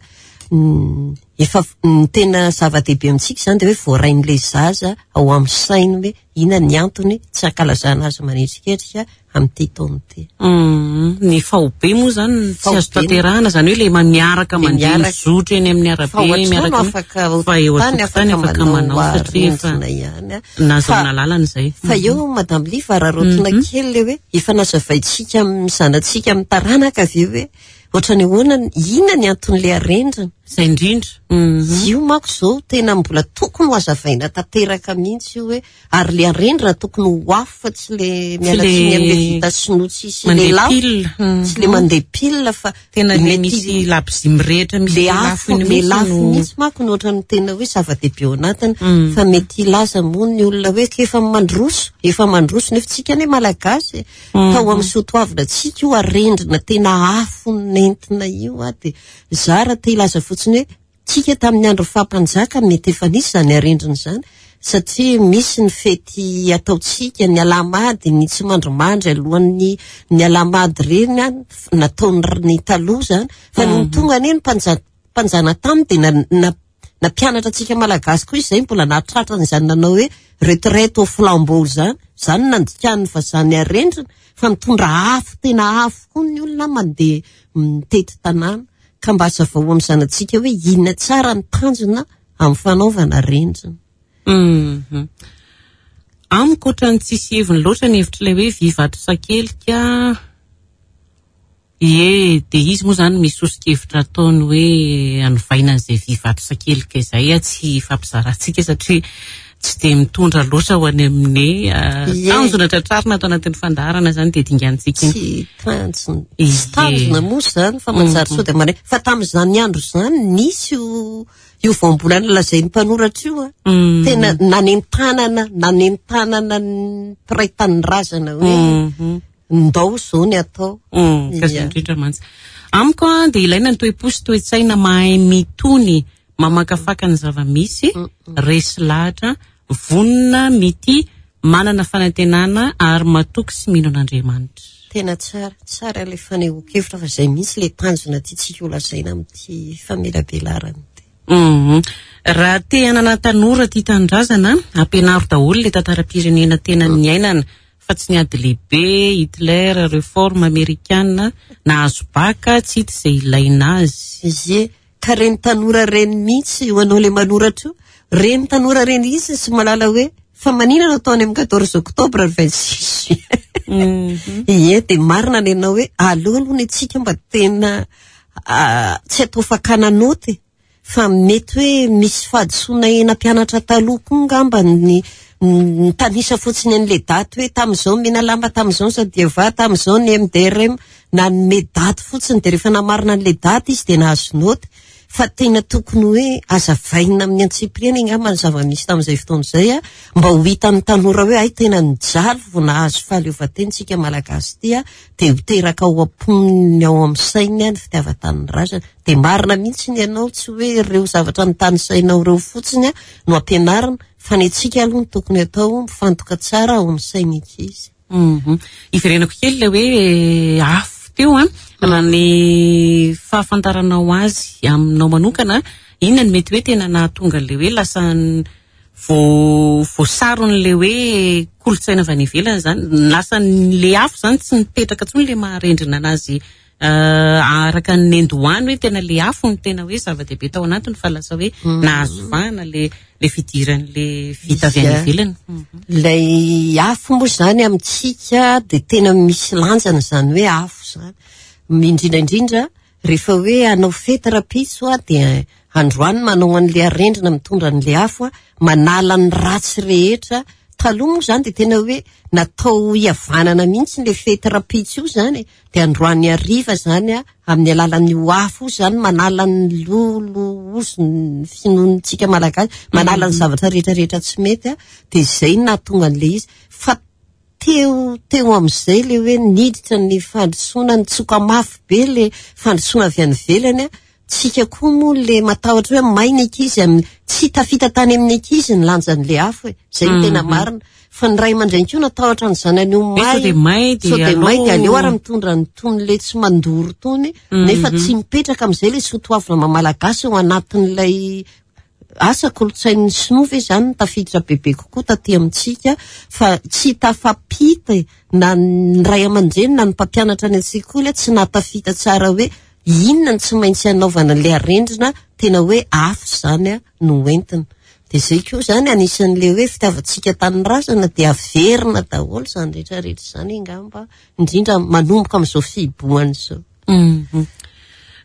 mm, efa ny tena zava-dehibe amintsika izany dia hoe voarain'ilay zaza ao amin'ny sainy hoe inona ny antony tsy ankalazana azy manetriketrika amin'ity taona ity. Mm, ny faobe moa izany tsy azo Faobe. tanterahana, izany hoe ilay ma-, miaraka Ilay mandeha miaraka. mizotra eny amin'ny arabe, Fa ao an-trano miaraka amin'ny afaka ao fa eo an-tokotany an-tokotany afaka afaka manao manao satria efa arendrina ihany, a. nahazoana Fa lalana izay. Fa eo, Madame Liva, raha rotina Mhm. kely ilay hoe efa nazavaintsika amin'ny zanatsika amin'ny taranaka avy eo hoe ohatrany ahoana, inona ny anton'ilay arendrina? Izay indrindra. Mhm. Io manko izao tena mbola tokony ho azavaina tanteraka mihitsy io hoe ary ilay arendrina tokony ho afo fa tsy ilay miala Tsy tsiny ilay amin'ilay vita sinoa tsisy mandeha ilay lafo. pile. Mhm. Tsy ilay mandeha pile fa tena ilay mety misy labozia mirehitra, misy le lafo afo, iny le mihitsy lafo no mihitsy manko no ohatran'ny tena hoe zava-dehibe ao anatiny. Mhm. Fa mety hilaza moa ny olona hoe efa mandroso, efa mandroso nefa tsika anie Malagasy. Mhm. Tao amin'ny soatoavina tsika io arendrina tena afo nentina io a, dia za raha te hilaza fotsiny hoe tsika tamin'ny andro fahampanjaka mety efa nisy izany arendrina izany. Satria misy ny fety ataontsika, ny alahamady, ny tsy mandrimandry alohan'ny ny alahamady ireny an, nataon'ny taloha izany. Fa nony tonga anie ny mpanja- mpanjanatany dia na- na- nampianatra antsika Malagasy koa izy izay mbola nahatratra an'izany nanao hoe retraite au flambeau izany. Izany nandikan'ny vazaha ny arendrina, fa mitondra afo, tena afo koa ny olona mandeha mitety tanàna. Ka mba hazavao amin'ny zanatsika hoe inona tsara ny tanjona amin'ny fanaovana arendrina. Mhm. Amiko ohatran'ny tsisy heviny loatra ny hevitr'ilay hoe vy vato sakelika. Ie, dia izy moa izany misy soso-kevitra ataony hoe anovaina an'izay vy vato sakelika izay, tsy hifampizarantsika satria tsy dia mitondra loatra ho any amin'ny Ie. tanjona tratrarina ato anatin'ny fandaharana izany dia dingantsika iny. Tsy tanjona. Ie. Tsy tanjona moa izany fa manjary sao dia mare. Fa tamin'izany andro izany nisy io io voambolana lazain'ny mpanoratra io a. Mm. Tena nanentanana, nanentanana ny mpiray tanindrazana hoe Mhm. ndao izao ny atao. Mm, ka izay Ia. indrindra mantsy. Amiko a, dia ilaina ny toe-po sy toe-tsaina mahay mitony, mamakafaka ny zava-misy, resy lahatra, vonona, mitia, manana fanantenana ary matoky sy mino an'Andriamanitra. Tena tsara, tsara ilay fanehoan-kevitra fa izay mihitsy ilay tanjona tiantsika ho lazaina amin'ity famelabelarana ity. Mhm. Raha te hanana tanora tia tanindrazana, ampianaro daholo ilay tantaram-pirenena tena niainana, fa tsy ny ady lehibe, Hitler, réforme amerikana, nahazo baka, tsy hita izay ilaina azy. Ie, ka reny tanora reny mihitsy ho anao ilay manoratra io, reny tanora reny mihitsy tsy mahalala hoe fa maninona no atao any amin'ny quatorze octobre ny vingt-six juin. Ie, dia marina ny anao hoe aleo aloha ny antsika mba tena, ah, tsy atao fakana naoty, fa mety hoe misy fahadisoana nampianatra taloha koa angamba ny nitanisa fotsiny an'ilay daty hoe tamin'izao Menalamba, tamin'izao ny Sadiava, tamin'izao ny M D R M, nanome daty fotsiny dia rehefa namarina an'ilay daty izy dia nahazo naoty. Fa tena tokony hoe azavaina amin'ny antsipiriany angamba ny zava-misy tamin'izay fotoana izay a, mba ho hitan'ny tanora hoe ay tena nijaly vao nahazo fahaleovantena isika Malagasy ity a, dia ho teraka ao am-poniny ao amin'ny sainy ny fitiavan-tanindrazana. Dia marina mihitsy ny anao, tsy hoe ireo zavatra nitanisainao ireo fotsiny a no ampianarina, fa ny antsika aloha no tokony atao mifantoka tsara ao amin'ny sainy ankizy. Mhm. Iverenako kely ilay hoe afo teo a, raha ny fahafantaranao azy aminao manokana, inona no mety hoe tena nahatonga ilay hoe lasa vo-, voasaron'ilay hoe kolontsaina avy any ivelany izany, lasa ilay afo izany tsy nipetraka intsony ilay maharendrina anazy, eh, araka ny nendohany hoe tena ilay afo no tena hoe zava-dehibe tao anatiny, fa lasa hoe Mm. nahazo vahana le, le fidiran'le vita avy any Ia. ivelany. Ilay afo moa izany amintsika dia tena misy lanjana izany hoe afo izany. Indrindra indrindra rehefa hoe hanao fety rahampitso a, dia androany manao an'ilay arendrina mitondra an'ilay afo a, manala ny ratsy rehetra. Taloha moa izany dia tena hoe natao hihavanana mihitsy ilay fety rahampitso io izany, dia androany hariva izany a, amin'ny alalan'io afo io izany manala ny lolo ozy ny finoantsika Malagasy, manala ny zavatra rehetra rehetra tsy mety a, dia izay no nahatonga an'ilay izy. Fa teo, teo amin'izay ilay hoe niditra ny fandrosoana, nitsoka mafy be ilay fandrosoana avy any ivelany a, tsika koa moa ilay matahotra hoe may ny ankizy amin'ny, tsy tafita tany amin'ny ankizy ny lanjan'ilay afo e, izay no tena Mhm. marina. Fa ny ray aman-dreny koa natahotra ny zanany ho Hoe may. sao dia may dia Sao dia may dia aleo aleo ary mitondra ny tony ilay tsy mandoro tony, nefa Mhm. tsy mipetraka amin'izay ilay soatoavina maha Malagasy ao anatin'ilay asa kolontsain'ny sinoa ve izany no tafiditra bebe kokoa taty amintsika, fa tsy tafapita e, na ny ray aman-dreny na ny mpampianatra any an-tsekoly tsy nahatafita tsara hoe inona no tsy maintsy hanaovana ilay arendrina tena hoe afo izany a no entina. Dia izay koa izany anisan'ilay hoe fitiavantsika tanindrazana dia averina daholo izany rehetrarehetra izany angamba, indrindra manomboka amin'izao fihibohana izao. Mhm.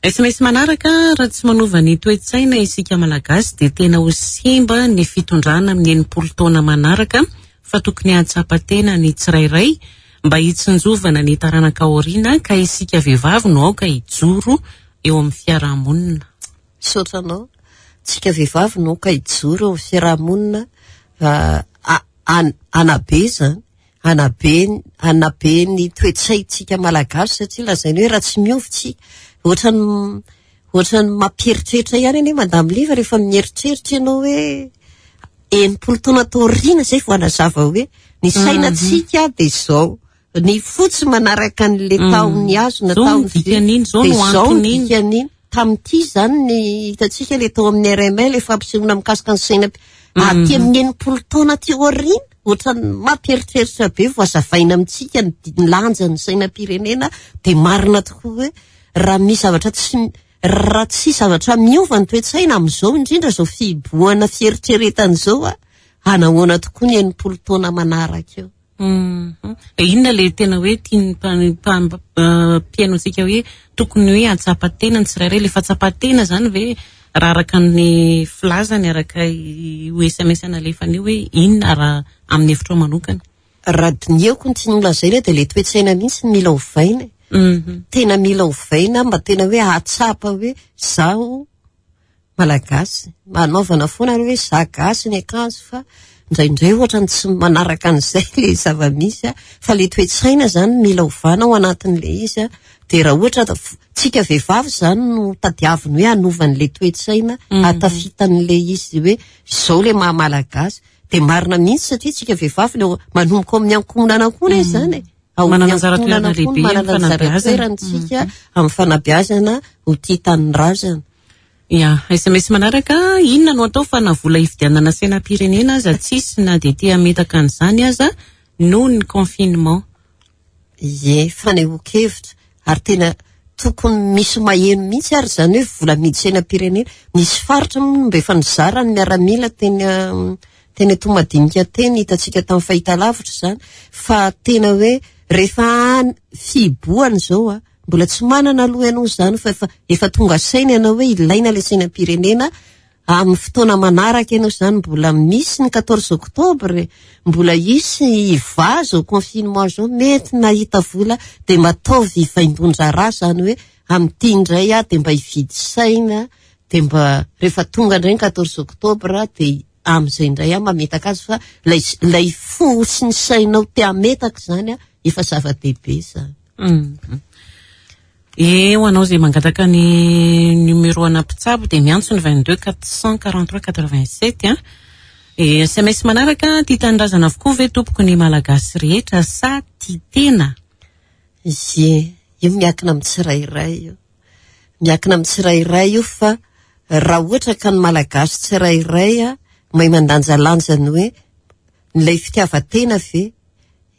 S M S manaraka, raha tsy manova ny toe-tsaina isika Malagasy dia tena ho simba ny fitondrana amin'ny enimpolo taona manaraka, fa tokony hahatsapa tena ny tsirairay mba hitsinjovana ny taranaka aoriana, ka isika vehivavy no aoka hijoro eo amin'ny fiarahamonina. Misaotra anao. Tsika vehivavy no aoka hijoro eo amin'ny fiarahamonina, ah, a-, an-, anabe izany, anabe, anabe ny toe-tsaintsika Malagasy, satria lazaina hoe raha tsy miova tsika, ohatran'ny, ohatran'ny mampieritreritra ihany anie Madame Liva rehefa mieritreritra ianao hoe enimpolo taona taoriana zay vao hanazava hoe ny sainantsika dia izao, ny fotsy manaraka an'le tahony hazo na Zao no tahony vy, dikan'iny, zao dia no zao no anton'iny. dikan'iny. Tamin'ity zany ny hitantsika le tao amin'ny R M L fampisehoana mikasika ny saina aty amin'ny enimpolo taona aty aoriana, ohatran'ny mampieritreritra be vao hazavaina amintsika ny di-, ny lanjan'ny sainam-pirenena. Dia marina tokoa hoe raha misy zavatra tsy, raha tsy zavatra miova ny toe-tsaina amin'izao, indrindra izao fihibohana fieritreretana izao, a, hanahoana tokoa ny enimpolo taona manaraka eo. Mhm. E inona le tena hoe tian'ny mpa-, mpa-, eh, mpihaino antsika hoe tokony hoe hatsapa-tena ny tsirairay? Le fahatsapa-tena zany ve raha araka ny filazany, araka io S M S nalefany io, hoe inona raha amin'ny hevitrao manokana? Raha dinihako ny tiany holazaina dia le toe-tsaina mihitsy no mila ovaina. Mhm. Tena mila ovaina mba tena hoe hahatsapa hoe zaho malagasy, manaovana foana hoe za gasy ny akanjo, fa indraindray ohatra ny tsy manaraka an'izay le zava-misy, a, fa le toe-tsaina zany mila ovana ao anatin'le izy, a. Dia raha ohatra da f-, tsika vehivavy zany no tadiaviny hoe hanovan'le toe-tsaina, Mhm. hatafitan'le izy hoe izao le maha malagasy. Dia marina mihitsy satria tsika vehivavy le manomboka amin'ny ankohonana koa izy zany e. Ao Manana amin'ny anjara ankohonana toerana koa lehibe manana amin'ny anjara fanabeazana. toerana tsika Mhm. amin'ny fanabeazana ho tia tanindrazana. Ya, S M S manaraka, inona no atao fa na vola hividianana sainam-pirenena aza tsisy na dia te hametaka an'izany aza noho ny confinement? Ie, fanehoan-kevitra. Ary tena tokony misy maheno mihitsy ary izany hoe vola midy sainam-pirenena. Nisy faritra moa mba efa nizara ny miaramila teny, um, teny Toamasina teny, hitantsika tamin'ny fahitalavitra izany, fa tena hoe rehefa any fihibohana izao, a, mbola tsy manana aloha ianao izany, fa efa, efa tonga saina ianao hoe ilaina ilay sainam-pirenena amin'ny fotoana manaraka ianao izany. Mbola misy ny quatorze octobre, mbola hisy hivazo confinement izao, mety nahita vola dia mba ataovy vaindohan-draharaha izany hoe amin'ity indray aho dia mba hividy saina, dia mba rehefa tonga indray ny quatorze octobre dia amin'izay indray aho mametaka azy, fa ilay, ilay fo sy ny sainao te hametaka izany, a, efa zava-dehibe izany. Mm. E, ho anao izay mangataka ny numéro ana mpitsabo dia miantso ny vingt-deux quatre cent quarante-trois quatre-vingt-sept, a. E, S M S manaraka, tia tanindrazana avokoa ve tompoko ny malagasy rehetra sa tia tena? Ie, io miankina amin'ny tsirairay io. Miankina amin'ny tsirairay io, fa raha ohatra ka ny malagasy tsirairay, a, mahay mandanjalanja ny hoe ilay fitiavan-tena ve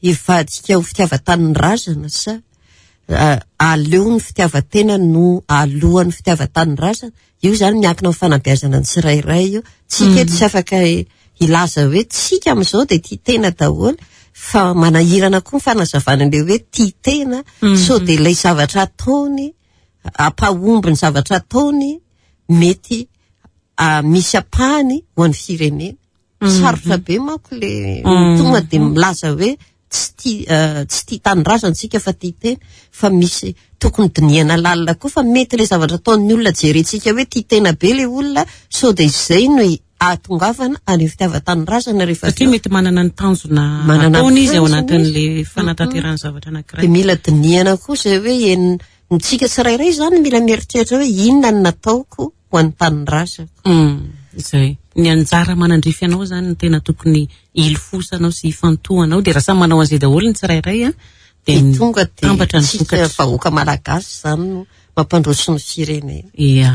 hivadika ho fitiavan-tanindrazana sa a-, aleo ny fitiavan-tena no alohan'ny fitiavan-tanindrazana? Io zany miankina amin'ny fanabeazana ny tsirairay io. Tsika eto tsy afaka hilaza hoe tsika amin'izao dia tia tena daholo, fa manahirana koa ny fanazavana an'ilay hoe tia tena, Mhm. sao dia ilay zavatra ataony, ampahomby ny zavatra ataony, mety, a, misy ampahany ho an'ny firenena. Mhm. Sarotra be manko le Mhm. tonga dia milaza hoe tsy tia, eh, tsy tia tanindrazana tsika fa tia tena, fa misy tokony dinihana lalina koa, fa mety ilay zavatra ataon'ny olona jerentsika hoe tia tena be ilay olona, sao dia izay no ahatongavana any fitiavan-tanindrazana rehefa Satria avy eo. mety manana ny tanjona Manana ny ataony izy ao tanjona anatin'ilay izy. fanatanterahana zavatra anankiray. Dia mila dinihana koa izay hoe en-, ntsika tsirairay izany mila mieritreritra hoe inona no nataoko ho an'ny tanindrazako. Mm, izay. Ny anjara manandrify anao izany no tena tokony hilofosanao sy hifantohanao, dia raha samy manao an'izay daholo ny tsirairay, a, dia Dia tonga dia tambatra ny tsika vokatra. vahoaka malagasy izany no mampandroso ny firenena. Ia.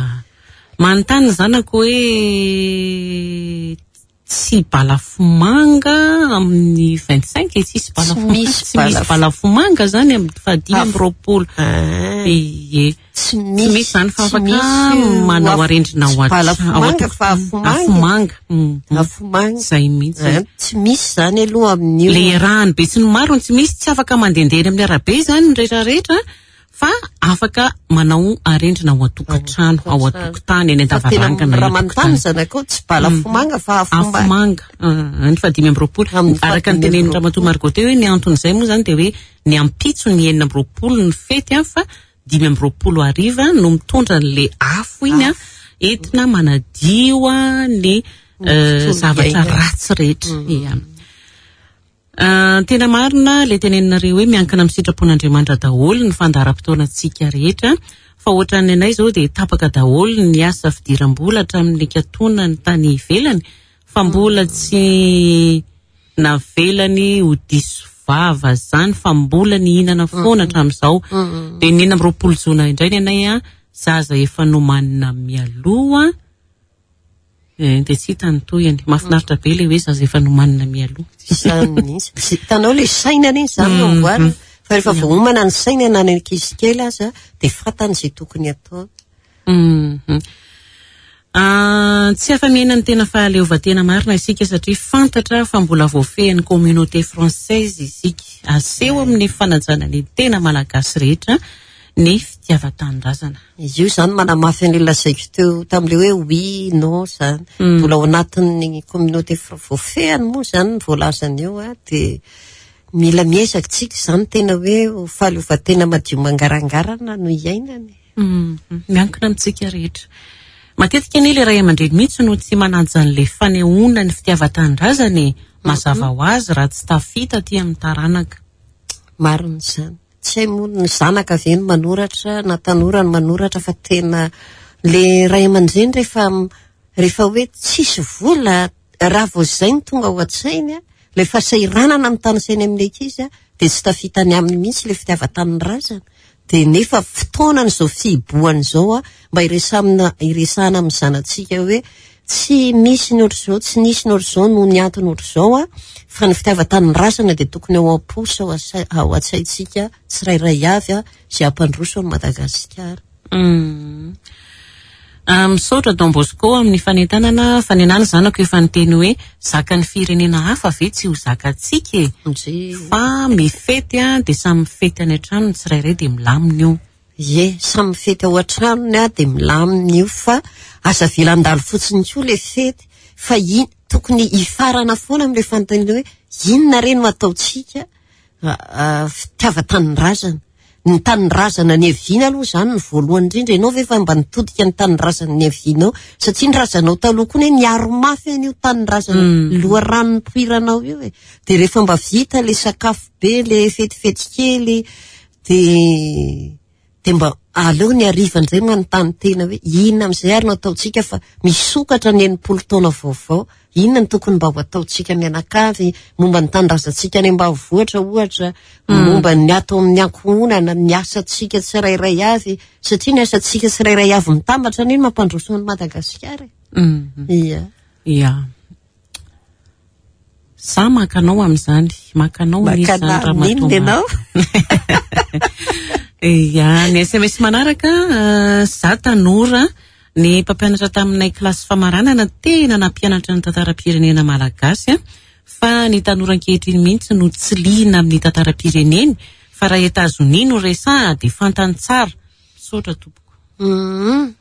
Manontany ny zanako hoe tsy balafomanga amin'ny vingt-cinq, e, tsisy Tsy balafomanga, misy tsy misy balafo- balafomanga zany amin'ny fahadimy amby Af- roapolo. Ah. Ie. Tsy Tsy misy, misy zany fa tsy afaka misy manao af- arendrina tsy ao an-trano, balafomanga ao an-tokotany. fa afomanga. Afomanga. Mm, mm. Afomanga. Zay mihitsy. Ah, tsy misy zany aloha amin'io. Le iarahany be sy ny maro tsy misy, tsy afaka mandehandeha eny amin'ny arabe zany ny rehetrarehetra, fa afaka manao arendrina ao an-tokantrano, Ao ao an-tokantrano. an-tokotany, eny Fa tena an-davarangana, raha eny manontany an-tokotany. zanakao, tsy balafomanga fa afomanga. Afomanga. Ah, ny fahadimy amby roapolo. Amin'ny Araka ny fahadimy amby tenenin'ny Ramatoa roapolo. Margot teo hoe ny anton'izay moa zany dia hoe ny ampitso ny enina amby roapolo ny fety, a, fa dimy amby roapolo hariva no mitondra an'ilay afo iny, a, Afo. entina manadio, a, ny, Ny eh, tontolo zavatra iainana. ratsy rehetra. Mm. Ia. Ah, tena marina ilay teneninareo hoe miankina amin'ny sitrapon'Andriamanitra daholo ny fandaharam-potoanantsika rehetra, fa ohatran'ny anay izao dia tapaka daholo ny asa fidiram-bola hatramin'ny nikatonany tany ivelany, Fa mbola tsy navelany ho diso vava zany, fa mbola nihinana foana hatramin'izao. Dia ny enina amby roapolo jona indray ny anay a, zaza efa nomanina mialoha. Eh, dia tsy hita ny tohiny. Mahafinaritra be ilay hoe zaza efa nomanina mialoha. Izany mihitsy. Hitanao le saina iny izany no amboarina. Fa rehefa voaomana ny saina na ny ankizy kely aza, dia fantany izay tokony atao. Mhm. Ah, tsy afa-miaina ny tena fahaleovantena marina isika, satria fantatra fa mbola voafehin'ny communauté française isika. Aseho amin'ny fanajana ny tena malagasy rehetra ny fitiavan-tanindrazana. Izy io zany manamafy an'ilay lazaiko teo tamin'ilay hoe oui, non zany. Mbola ao anatin'ny communauté fr- voafehany moa zany ny voalazany eo a, dia mila miezaka tsika zany tena hoe ho fahaleovantena madio mangarangarana no iainany. Mhm. Miankina amintsika rehetra. Matetika anie ilay ray aman-dreny mihitsy no tsy manaja an'ilay fanehoana ny fitiavan-tanindrazana e. Mazava ho azy raha tsy tafita aty amin'ny taranaka. Marina izany. Tsy hay moa ny zanaka ve no manoratra na tanora no manoratra, fa tena le ray aman-dreny rehefa rehefa hoe tsisy vola, raha vao izay no tonga ao an-tsainy a, ilay fahasahiranana mitanisainy amin'ny ankizy a, dia tsy tafitany aminy mihitsy ilay fitiavan-tanindrazana. Dia nefa fotoanany izao fihibohana izao a, mba iresamina iresahana amin'ny zanatsika hoe tsy misy ny ohatr'izao, tsy nisy ny ohatr'izao noho ny antony ohatr'izao a, fa ny fitiavan-tanindrazana dia tokony ao am-po sy ao an-tsai- ao an-tsaintsika tsirairay avy a, izay hampandroso an'i Madagasikara. Mm. Ah, misaotra Don Bosco amin'ny fanentanana. Fanenana zanako efa niteny hoe zakan'ny firenena hafa ve tsy ho zakantsika e? Ndry. Fa mifety a, dia samy mifety any an-trano ny tsirairay dia milamina io. Ie, samy mifety ao an-tranony a, dia milamina io, fa aza avela handalo fotsiny koa ilay fety, fa i- tokony hifarana foana amin'ilay fanontaniana hoe inona re no ataontsika fitiavan-tanindrazana. Ny tanindrazana niaviana aloha izany ny voalohany indrindra. Ianao ve efa mba nitodika ny tanindrazana niavianao? Satria ny razanao taloha koa ne niaro mafy an'io tanindrazana loharano nipoiranao io e. Dia rehefa mba vita le sakafo be, le fetifety kely, dia dia mba aleo ny hariva indray manontany tena hoe inona amin'izay ary no ataontsika, fa misokatra ny enimpolo taona vaovao. Inona no tokony mba ho ataontsika mianakavy momba ny tanindrazantsika any ambanivohitra ohatra, momba ny ato amin'ny ankohonana, ny asantsika tsirairay avy, satria ny asantsika tsirairay avy mitambatra anie no mampandroso an'i Madagasikara. Mhm. Ia. Ia. Za maka anao amin'izany, maka anao Maka anisan'ny anah ramatoa amin'inona ianao? Ia, ny S M S manaraka, eh, za tanora, ny mpampianatra taminay kilasy famaranana tena nampianatra ny tantaram-pirenena malagasy, a, fa ny tanora ankehitriny mihitsy no tsy liana amin'ny tantaram-pireneny, fa raha Etazonia no resaha dia fantany tsara. Misaotra tompoko. Mhm.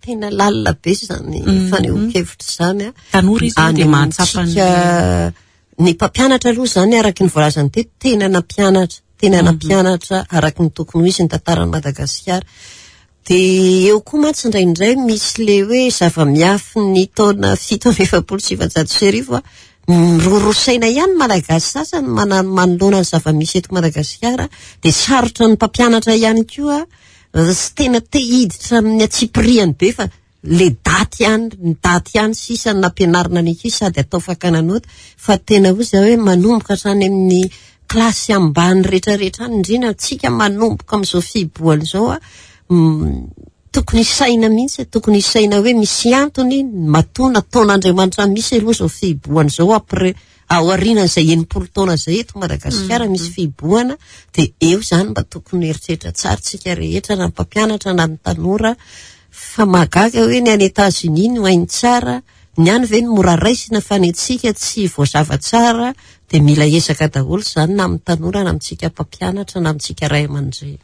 Tena lalina be izany Mhm. fanehoan-kevitra izany, a. Tanora izy Any dia mahatsapa ny amintsika, ny mpampianatra aloha izany araka ny voalazany teto, tena nampianatra, tena Mhm. nampianatra araka ny tokony ho izy ny tantaran'i Madagasikara. Dia eo koa mantsy indraindray misy le hoe zava-miafy ny taona fito amby efapolo sy sivinjato sy arivo a, miroroa saina ihany Malagasy sasany mana-, manoloana ny zava-misy eto Madagasikara. Dia sarotra ny mpampianatra ihany koa, tsy tena te hiditra amin'ny antsipiriany be, fa le daty ihany, ny daty ihany sisa no nampianarina ny ankizy sady atao fakana nota, fa tena hoy izy hoe manomboka hatrany amin'ny kilasy ambany rehetrarehetra any, indrindra antsika manomboka amin'izao fihibohana izao a, mm, tokony hisaina mihitsy, tokony hisaina hoe misy antony matoa nataon'Andriamanitra misy aloha izao fihibohana izao, après aorianan'izay enimpolo taona izay eto Madagasikara Mm. misy fihibohana, dia eo izany mba tokony eritreritra tsara tsika rehetra, na ny mpampianatra na ny tanora, fa mahagaga hoe ny any Etazonia no hainy tsara, ny any ve no mora raisina, fa ny antsika tsy voazava tsara, dia mila ezaka daholo izany na amin'ny tanora na amintsika mpampianatra na amintsika ray aman-dreny.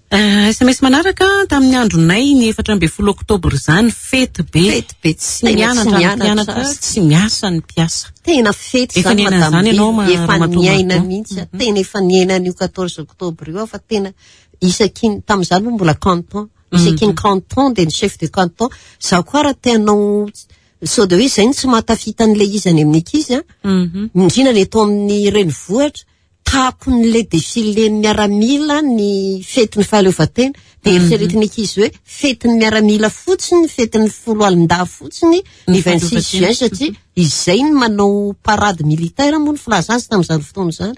Eh, S M S manaraka tamin'ny andronay ny efatra ambin'ny folo oktobra izany, fety be. Fety be, Tsy tena tsy mianatra ny mianatra. mpianatra, tsy miasa ny mpiasa. Tena fety Efa izany, niaina Madame izany ianao, Vy, ma- efa Ramatoa niaina Margot. mihitsy. Tena efa niaina an'io quatorze octobre io aho, fa tena isaky ny, tamin'izany moa mbola canton. Isaky ny canton dia ny chef de canton. Izaho koa raha te hanao sao dia hoe izay no tsy mahatafita an'ilay izy any amin'ny ankizy, a. Mhm. Indrindra ny eto amin'ny renivohitra, takon'ilay défilé ny miaramila ny fetin'ny fahaleovantena, De eritreretin'ny ankizy hoe fetin'ny miaramila fotsiny, fetin'ny foloalindahy fotsiny ny vingt-six juin, satria izay ny manao parade militaire moa ny filaza azy tamin'izany fotoana izany.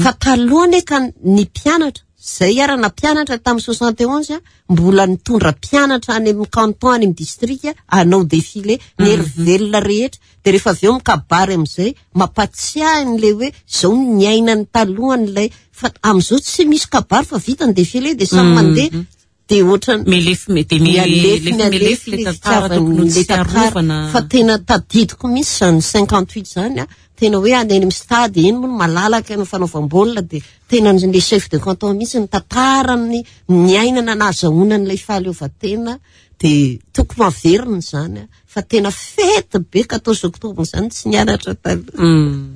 Fa talohany ka ny mpianatra zay ara na mpianatra tamin'ny soixante et onze mbola nitondra mpianatra any amin'ny canton, any amin'ny district, hanao défilé ny herivelona rehetra. De rehefa avy eo mikabary amin'izay mampatsiahy n'le hoe zao ny niainany talohan'ilay. Fa amin'izao tsy misy kabary fa vita ny défilé de samy mandeha, de ohatrany melefy de mialefy mialefy le tantara tokony ho le tantara. Tsiarovana. Fa tena tadidiko mihitsy zany cinquante huit zany a, tena hoe any amin'ny stade eny moa no malalaka ny fanaovam-baolina, de tena le chef de canton mihitsy ny tantarany niainana nahazahoana an'ilay fahaleovantena. De tokony averina zany a, fa tena fety be quatorze octobre zany, tsy nianatra taloha. Mm.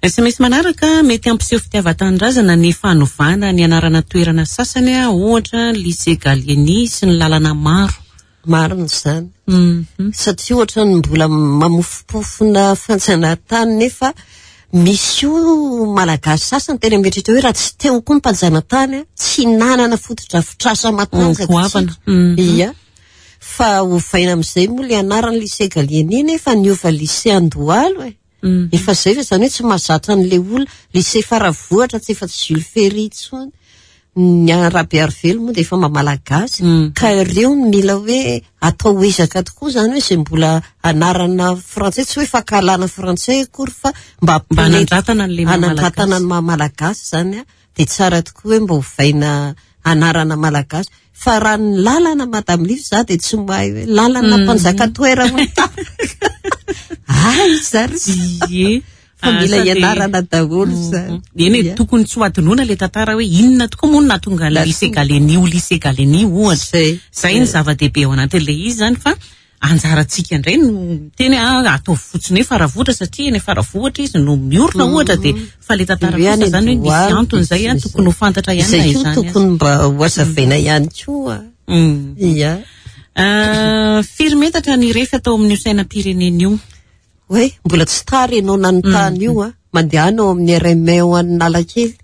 S M S manaraka: mety hampiseho fitiavan-tanindrazana ny fanovana ny anarana toerana sasany a, ohatra lycée Gallieni sy ny lalana maro. Marina zany, Mhm. satria ohatra ny mbola mamofopofona fanjanahantany, nefa misy io malagasy sasany tena mieritreritra hoe raha tsy teo koa ny mpanjanatany a, tsy nanana fotodrafitrasa matanjaka Goavana. tsika. Mhm. Ia, fa ovaina amin'izay moa le anarany lycée Gallieni, nefa niova lycée Andohalo e. Mhm. Efa zay fa zany hoe tsy mahazatra an'le olona. Lycée Faravohitra tsy efa tsy Jules Ferry intsony, ny Rabearivelo moa de efa mamalagasy. Mm. Ka ireo no mila hoe atao ezaka tokoa zany, hoe zay mbola anarana frantsay, tsy hoe fankahalana frantsay akory, fa mba Mba hanandratana an'le maha hanandratana malagasy. ny maha malagasy zany a, de tsara tokoa hoe mba hovaina anarana malagasy. Fa raha ny lalana, madame Liv, za de tsy mahay hoe lalana mpanjaka toerana ay zary. Ie. Fa mila Ah, sady- ianarana daholo zany. Eny e, Ia. tokony tsy ho adinoana le tantara hoe inona tokoa moa no nahatonga ny lycée Gallieni ho lycée Gallieni ohatra. Zay. Zay ny zava-dehibe ao anatin'le izy zany, fa anjarantsika indray no teny ah, ataovy fotsiny hoe Faravohitra satria eny Faravohitra izy no miorina ohatra, de fa le tantara De hoe kosa any zany hoe misy Andohalo, antony zay a, de tokony ho fantatra ihany na Izay koa izany aza. tokony mba ho azavaina ihany koa. Mm. Ia. Ah, firy metatra ny refy atao amin'io sainam-pirenena io? Hoe mbola tsy tary ianao nanontany io a, mandehana ao amin'ny R M A ao Analakely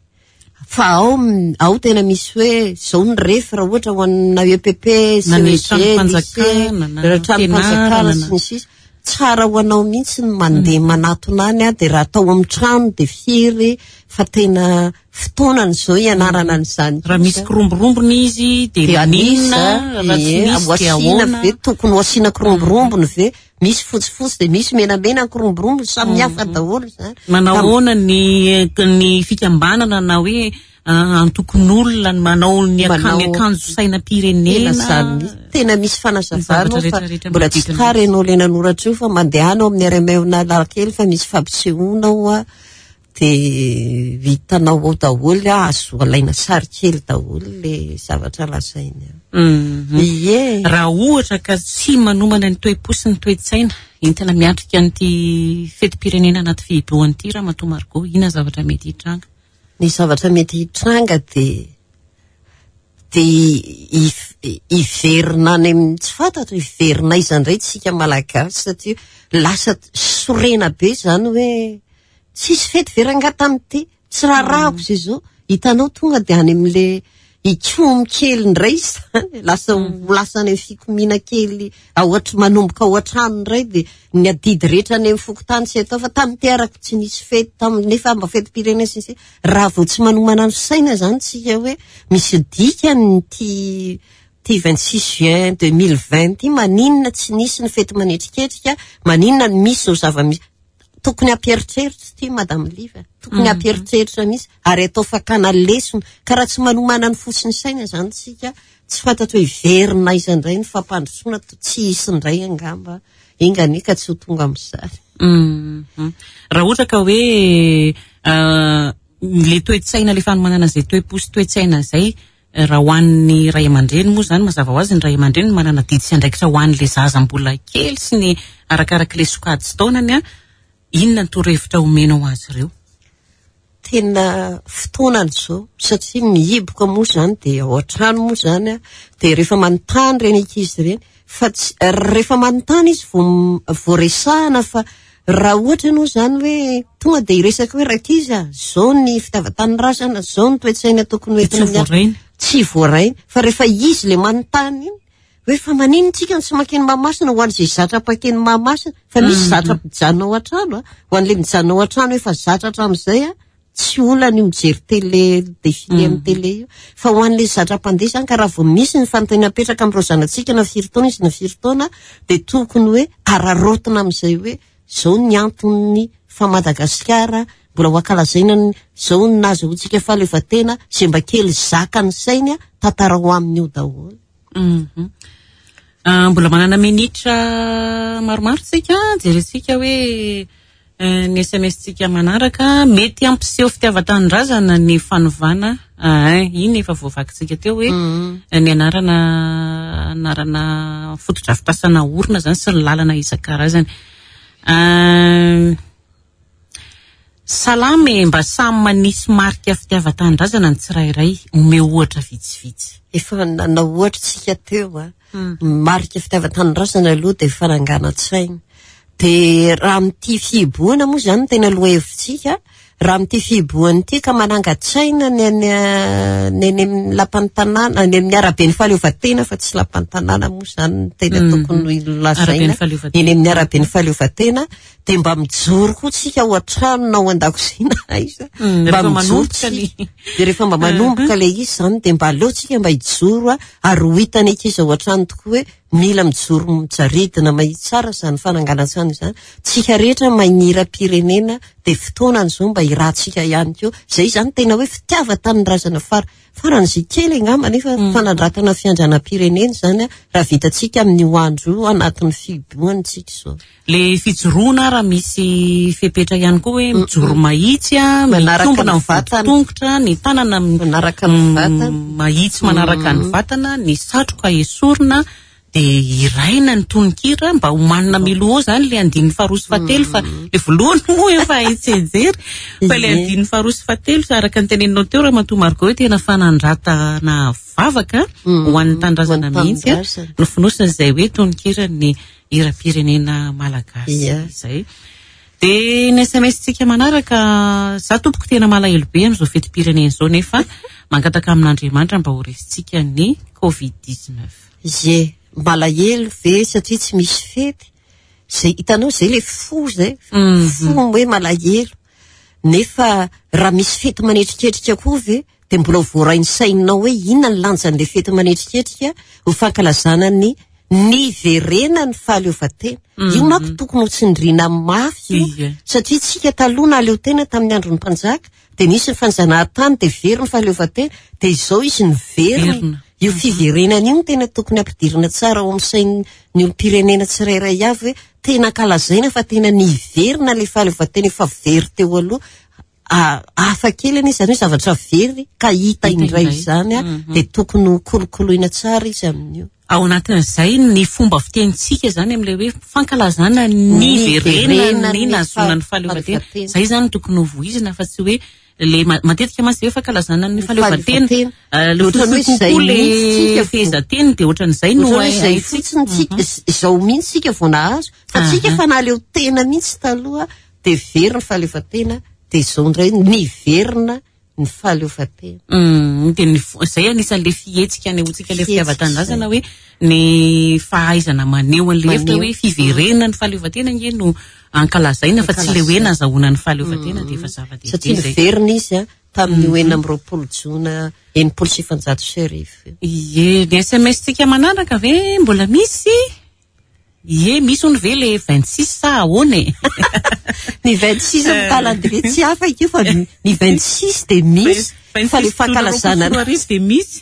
fa ao m- ao tena misy hoe zao ny refy raha ohatra ho an'na E P P, Na ny C E G, tranom-panjakana, na lycée, tranom-panjakana fianarana, sy ny sisa. Tsara ho anao mihitsy ny mandeha manatona any a, de raha atao amin'ny trano de firy, fa tena fotoanany zao ianarana an'izany. Raha misy kiromborombony izy de De maninona? anisa Raha tsy ie, misy de ho asiana ahoana? ve, tokony ho asiana kiromborombony ve? Misy fotsifotsy de misy menamena, kiromborombony samy hafa daholo zany. Manao ahoana ny ny fikambanana na hoe ah, antokon'olona ny manao ny aka- Manao- ny akanjo Tena sainam-pirenena? zany mihitsy. Tena misy fanazavana Zavatra fa rehetrarehetra mbola tsy manodidina tary ianao le nanoratra io, fa mandehana ao amin'ny R M A Analakely fa misy fampisehoana ao a, de hitanao ao daholo a, azo alaina sary kely daholo le zavatra lazainy ao. Mhm. Ie. Raha ohatra ka tsy manomana ny toe-po sy ny toe-tsaina entina miatrika an'ity fetim-pirenena anaty fihibohana ity raha matoa Margot, inona zavatra mety hitranga? Ny zavatra mety hitranga de de if- hiverina any amin'ny tsy fantatra, hiverina aiza indray tsika malagasy, satria lasa sorena be zany hoe tsisy fety ve rangahy tamin'ity, tsy raharahako zay zao hitanao, tonga de any amin'le ikomy kely indray zany, lasa ho lasa any amin'ny fikomiana kely ao an- manomboka ao an-trano indray, de ny adidy rehetra any amin'ny fokontany tsy atao fa tamin'ity arako tsy nisy fety tam nefa mba fetim-pirenena sy ny sisa. Raha vao tsy manomana ny saina zany tsika hoe misy dikany ty ty vingt-six juin deux mille vingt ty, maninona tsy nisy ny fety manetriketrika, maninona ny misy zao zava-misy, tokony hampieritreritra ty, madame Liva, tokony hampieritreritra mihitsy ary atao fakana lesona. Ka raha tsy manomana ny fo sy ny saina zany tsika, tsy fantatro hoe hiverina aiza indray ny fampandrosoana, to- tsy hisy indray angamba, enganie ka tsy ho tonga amin'izany. Mhm. Raha ohatra ka hoe ah, le toe-tsaina, le fanomanana zay toe-po sy toe-tsaina zay, raha ho an'ny ray aman-dreny moa zany, mazava ho azy ny ray aman-dreny manana adidy sy andraikitra ho an'le zaza mbola kely sy ny arakarak'le sokajy taonany a, inona ny torohevitra omenao azy ireo? Tena fotoanany zao, satria mihiboka moa zany de ao an-trano moa zany a, de rehefa manontany reny ankizy ireny, fa tsy rehefa manontany izy vo vo resahana, fa raha ohatra ianao zany hoe tonga de hiresaka hoe rankizy a, zao ny fitiavan-tanindrazana, zao ny toe-tsaina tokony De tsy hoentina miasa. voarainy. tsy voarainy. Fa rehefa izy le manontany iny hoe fa maninona tsika no tsy mankeny Mahamasina, ho an'izay zatra mpankeny Mahamasina, fa misy zatra mijanona ao an-trano a, ho an'le mijanona ao an-trano efa zatra hatramin'izay a, tsy olana io mijery télé, défilé amin'ny télé io. Fa ho an'le zatra mpandeha zany, ka raha vao misy ny fanontaniana apetraka amin'ireo zanatsika na firy taona izy na firy taona, dia tokony hoe araraotina amin'izay hoe zao ny antony fa Madagasikara mbola ho ankalazaina, zao ny nahazoantsika fahaleovantena, izay mba kely zaka ny sainy tantara ho amin'io daholo. Mbola manana minitra maromaro tsika, jerentsika hoe ny S M S-tsika manaraka. Mety hampiseho fitiavan-tanindrazana ny fanovana, iny efa voavakintsika teo hoe ny anarana, anarana fotodrafitrasana orina zany sy ny lalana isan-karazany. Salama e, mba samy manisy marika fitiavan-tanindrazana ny tsirairay, omeo ohatra vitsivitsy. Efa nanao ohatra tsika teo a. Marika fitiavan-tanindrazana aloha dia fananganan-tsaina. Dia raha amin'ity fihibohana moa izany tena lohahevitsika, raha amin'ity fihibohana ity ka manangan-tsaina ny any, ny any amin'ny lapan'ny tanàna, any amin'ny araben'ny fahaleovantena, fa tsy lapan'ny tanàna moa izany no tena tokony lazaina. Eny amin'ny araben'ny fahaleovantena dia mba mijoro koa tsika ao an-trano na ao an-dakozia na aiza. Mba mijoro tsika. Dia rehefa mba manomboka ilay izy izany dia mba aleo tsika mba hijoro ary ho hitany ankizy ao an-trano tokoa hoe mila mijoro mijaridina mahitsy tsara izany fananganan-tsaina izany. Tsika rehetra magnira-pirenena dia fotoanany izao mba hirahantsika ihany koa. Izay izany tena hoe fitiavan-tanindrazana fara faran'izay kely angamba, nefa fanandratana fiandrianam-pirenena izany raha vitantsika amin'io andro io anatin'ny fihibohana tsika izao. Le fijoroana raha misy fepetra ihany koa hoe mijoro mahitsy a, Manaraka mitombina ny ny vatana. tongotra, ny tanana Manaraka ny vatana. mahitsy manaraka ny vatana, ny satroka esorina, dia iraina ny tononkira mba homanina miloha zany le andininy faharoa sy fahatelo, fa le voalohany moa efa haintsenjery, fa le andininy faharoa sy fahatelo araka ny teneninao teo Ramatoa Margot hoe tena fanandratana vavaka ho an'ny tanindrazana Ho an'ny mihitsy a, tanindrazana. no fonosina izay hoe tononkiran'ny hiram-pirenena malagasy izay. Dia ny S M S-tsika manaraka, za tompoko tena malahelo be amin'izao fetim-pirenena izao, nefa mangataka amin'Andriamanitra mba ho resintsika ny covid dix-neuf. Ie, malahelo ve satria tsy misy fety? Zay hitanao zay le fo zay, fo hoe malahelo. Nefa raha misy fety manetriketrika koa ve dia mbola voarain'ny sainao hoe inona ny lanjan'ilay fety manetriketrika ho fankalazana ny niverena ny fahaleovantena. Io manko tokony ho tsindriana mafy io, Ie. satria tsika taloha nahaleo tena tamin'ny andron'ny mpanjaka, dia nisy ny fanjanahantany, dia very ny fahaleovantena, dia izao izy niverina. Verina. Io fiverenana io no tena tokony ampidirina tsara ao amin'ny sain'ny olom-pirenena tsirairay avy hoe tena ankalazaina fa tena niverina ilay fahaleovantena efa very teo aloha. A-, hafa kely anie izany hoe zavatra very ka hita Hita indray indray. izany a, Mhm. dia tokony ho kolokoloina tsara izy amin'io. Ao anatin'izay ny fomba fitenintsika izany amin'ilay hoe fankalazana ny Ny verenana verenana ny ny nahazoana ny fahaleovantena. fahaleovantena. Izay izany tokony ho voizina fa tsy hoe le ma-, matetika mantsy hoe fankalazana ny Ny fahaleovantena. fahaleovantena. Eh, le Ohatran'ny hoe fotsiny izay kokoa le mihitsy tsika vao- fehezanteny dia ohatran'izay no Ohatran'ny hoe izay haintsika. fotsiny tsika, z-, izao mihitsy tsika vao nahazo. Fa tsika Aha. efa nahaleo tena mihitsy taloha, dia very ny fahaleovantena, dia izao indray niverina ny fahaleovantena. Mm, dia ny fo-, izay anisan'ilay fihetsika anehoantsika ilay Fihetsika fitiavan-tanindrazana izay. hoe ny fahaizana maneho an'ilay hevitra Maneho. hoe fiverenana ny fahaleovantena ange no ankalazaina fa tsy ilay hoe Ankalazaina. nazahoana ny fahaleovantena dia efa zava-dehibe Satria izay. niverina izy a, tamin'ny Mhm. enina amby roapolo jona enimpolo sy efajato sy arivo. Ie, ny S M S-tsika manaraka ve mbola misy? Ie, misy hono ve le vingt-six sa ahoana e? Ny vingt-six amin'ny calendrier tsy hafa io fa ny vingt-six dia misy, Vingt-six fa le fankalazana roapolo sy roa arivo dia misy.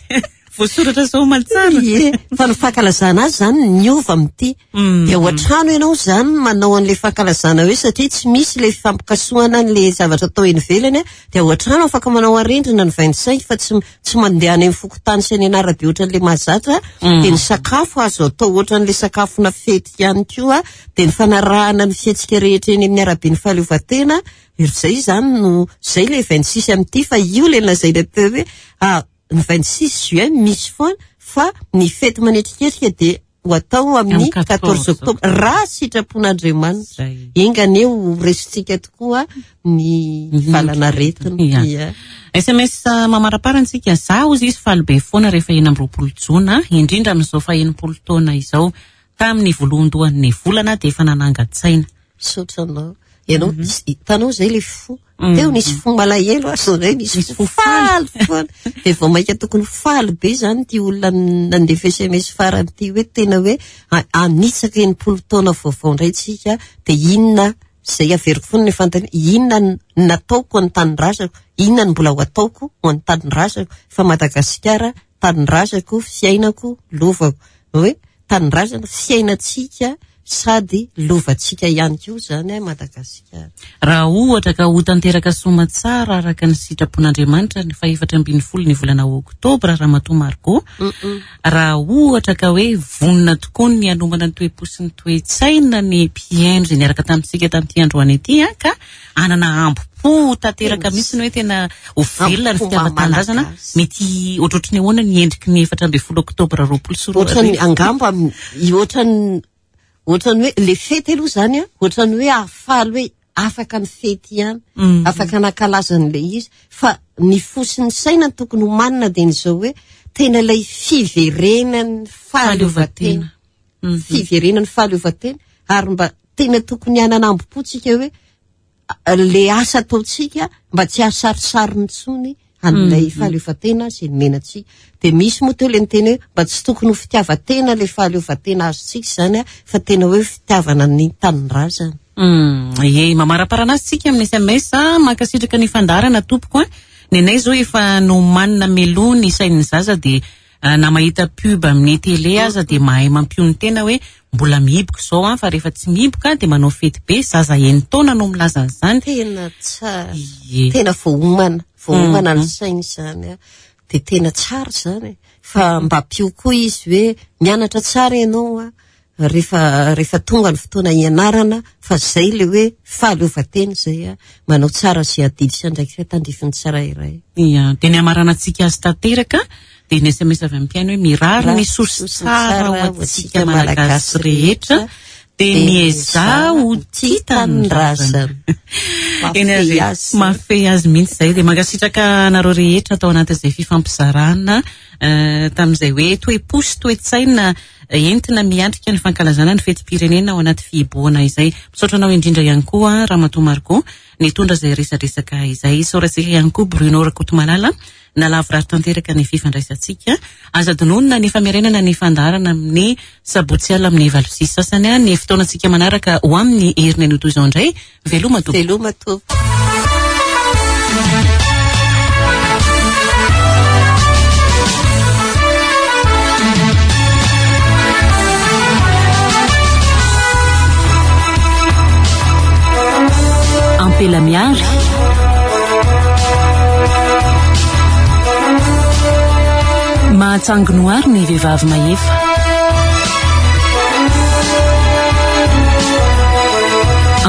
Voasoratra zao aman-tsara. Ie, fa ny fankalazana azy zany niova amin'ity. Mm. Dia ao an-trano ianao zany manao an'ilay fankalazana hoe satria tsy misy ilay fampikasohana an'ilay zavatra atao eny ivelany a, dia ao an-trano afaka manao arendrina ny vingt-cinq fa tsy, tsy mandeha any amin'ny fokontany sy any an'arabe ohatran'ilay mahazatra. Mm. Dia ny sakafo azo atao ohatran'ilay sakafona fety ihany koa, dia ny fanarahana ny fihetsika rehetra eny amin'ny araben'ny fahaleovantena. Izay zany no, izay ilay vingt-six amin'ity, fa io ilay lazaina teo hoe, ah, ny vingt-six juin misy foana, fa ny fety manetriketrika dia ho atao amin'ny quatorze octobre raha sitrapon'Andriamanitra. Enga anie ho resintsika tokoa ny valanaretina. Ia. S M S mamaraparantsika, zaho izy faly be foana rehefa enina amby roapolo jona, indrindra amin'izao faha-enimpolo taona izao, tamin'ny voalohandohan'ny volana dia efa nanangan-tsaina. Misaotra anao. Ianao, hitanao izay ilay fo. Teo nisy fo malahelo, azo indray nisy fo faly foana. Dia vao mainka tokony faly be izany ity olona nandefa S M S farany ity hoe tena hoe anitsaka enimpolo taona vaovao indray tsika, dia inona izay averiko foana ny fanontaniana, inona no nataoko ho an'ny tanindrazako, inona no mbola ho ataoko ho an'ny tanindrazako, fa Madagasikara tanindrazako, fiainako, lovako. Hoe tanindrazana, fiainantsika sady lovantsika ihany koa izany Madagasikara. Raha ohatra ka ho tanteraka soa tsara araka ny sitrapon'Andriamanitra ny fahefatra ambin'ny folo ny volana oktobra, Ramatoa Margot, raha ohatra ka hoe vonona tokoa ny hanomana ny toe-po sy ny toe-tsaina ny mpihaino izay niaraka tamintsika tamin'ity androany ity, ka hanana ambo-po tanteraka mihitsy ny hoe tena ho velona ny fitiavan-tanindrazana, mety ohatrohatry ny ahoana ny endriky ny efatra ambin'ny folo oktobra roapolo sy roa arivo? Ohatran'ny angamba ohatran'ny ohatran'ny hoe le fety aloha izany a, ohatran'ny hoe ahafaly hoe afaka ny fety ihany, afaka nankalazan'ilay izy, fa ny fo sy ny saina tokony homanina dia izao hoe tena ilay fiverenan'ny fahaleovantena. Fiverenan'ny fahaleovantena, ary mba tena tokony hanana ambo-po tsika hoe le asa ataontsika mba tsy hahasarisariny intsony an'ilay fahaleovantena izay nomena antsika. Dia misy moa teo ilay niteny hoe mba tsy tokony ho fitiavan-tena ilay fahaleovantena azontsika izany a, fa tena hoe fitiavana ny tanindrazana. Ie, mamaraparana azy tsika amin'ny S M S, mankasitraka ny fandaharana tompoko a. Ny anay izao efa nomanina meloa ny sain'ny zaza, dia na mahita pub amin'ny télé aza dia mahay mampiony tena hoe mbola mihiboka izao a, fa rehefa tsy mihiboka dia manao fety be. Zaza enin-taona no milaza an'izany. Tena tsara. Ie. Tena voaomana, voaomana ny sainy izany a. Dia tena tsara izany. Fa mba ampio koa izy hoe mianatra tsara ianao a, rehefa, rehefa tonga ny fotoana hianarana, fa izay ilay hoe fahaleovantena izay a, manao tsara sy adidy sy andraikitra tandrifin'ny tsirairay. Ia, dia ny hamaranantsika azy tanteraka dia ny S M S avy amin'ny mpihaino hoe mirary ny soa sy tsara ho antsika Malagasy rehetra, dia miezaha ho tia tanindrazana. Eny ary, mafehy azy mihitsy izay. Dia mankasitraka anareo rehetra tao anatin'izay fifampizarana, eh, tamin'izay hoe toe-po sy toe-tsaina entina miatrika ny fankalazana ny fetim-pirenena ao anaty fihibohana izay. Misaotra anao indrindra ihany koa Ramatoa Margot nitondra izay resadresaka izay. Isaorantsika ihany koa Bruno Rakotomalala nalavorary tanteraka ny fifandraisantsika. Aza adinoina ny famerenana ny fandaharana amin'ny sabotsy alina amin'ny valo sy sasany, ny fotoanantsika manaraka ho amin'ny heriny anio toy izao indray. Veloma tompoko. Veloma tompoko. Ampela miary. Mahatsangonoary ny vehivavy mahefa.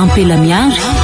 Ampela miary.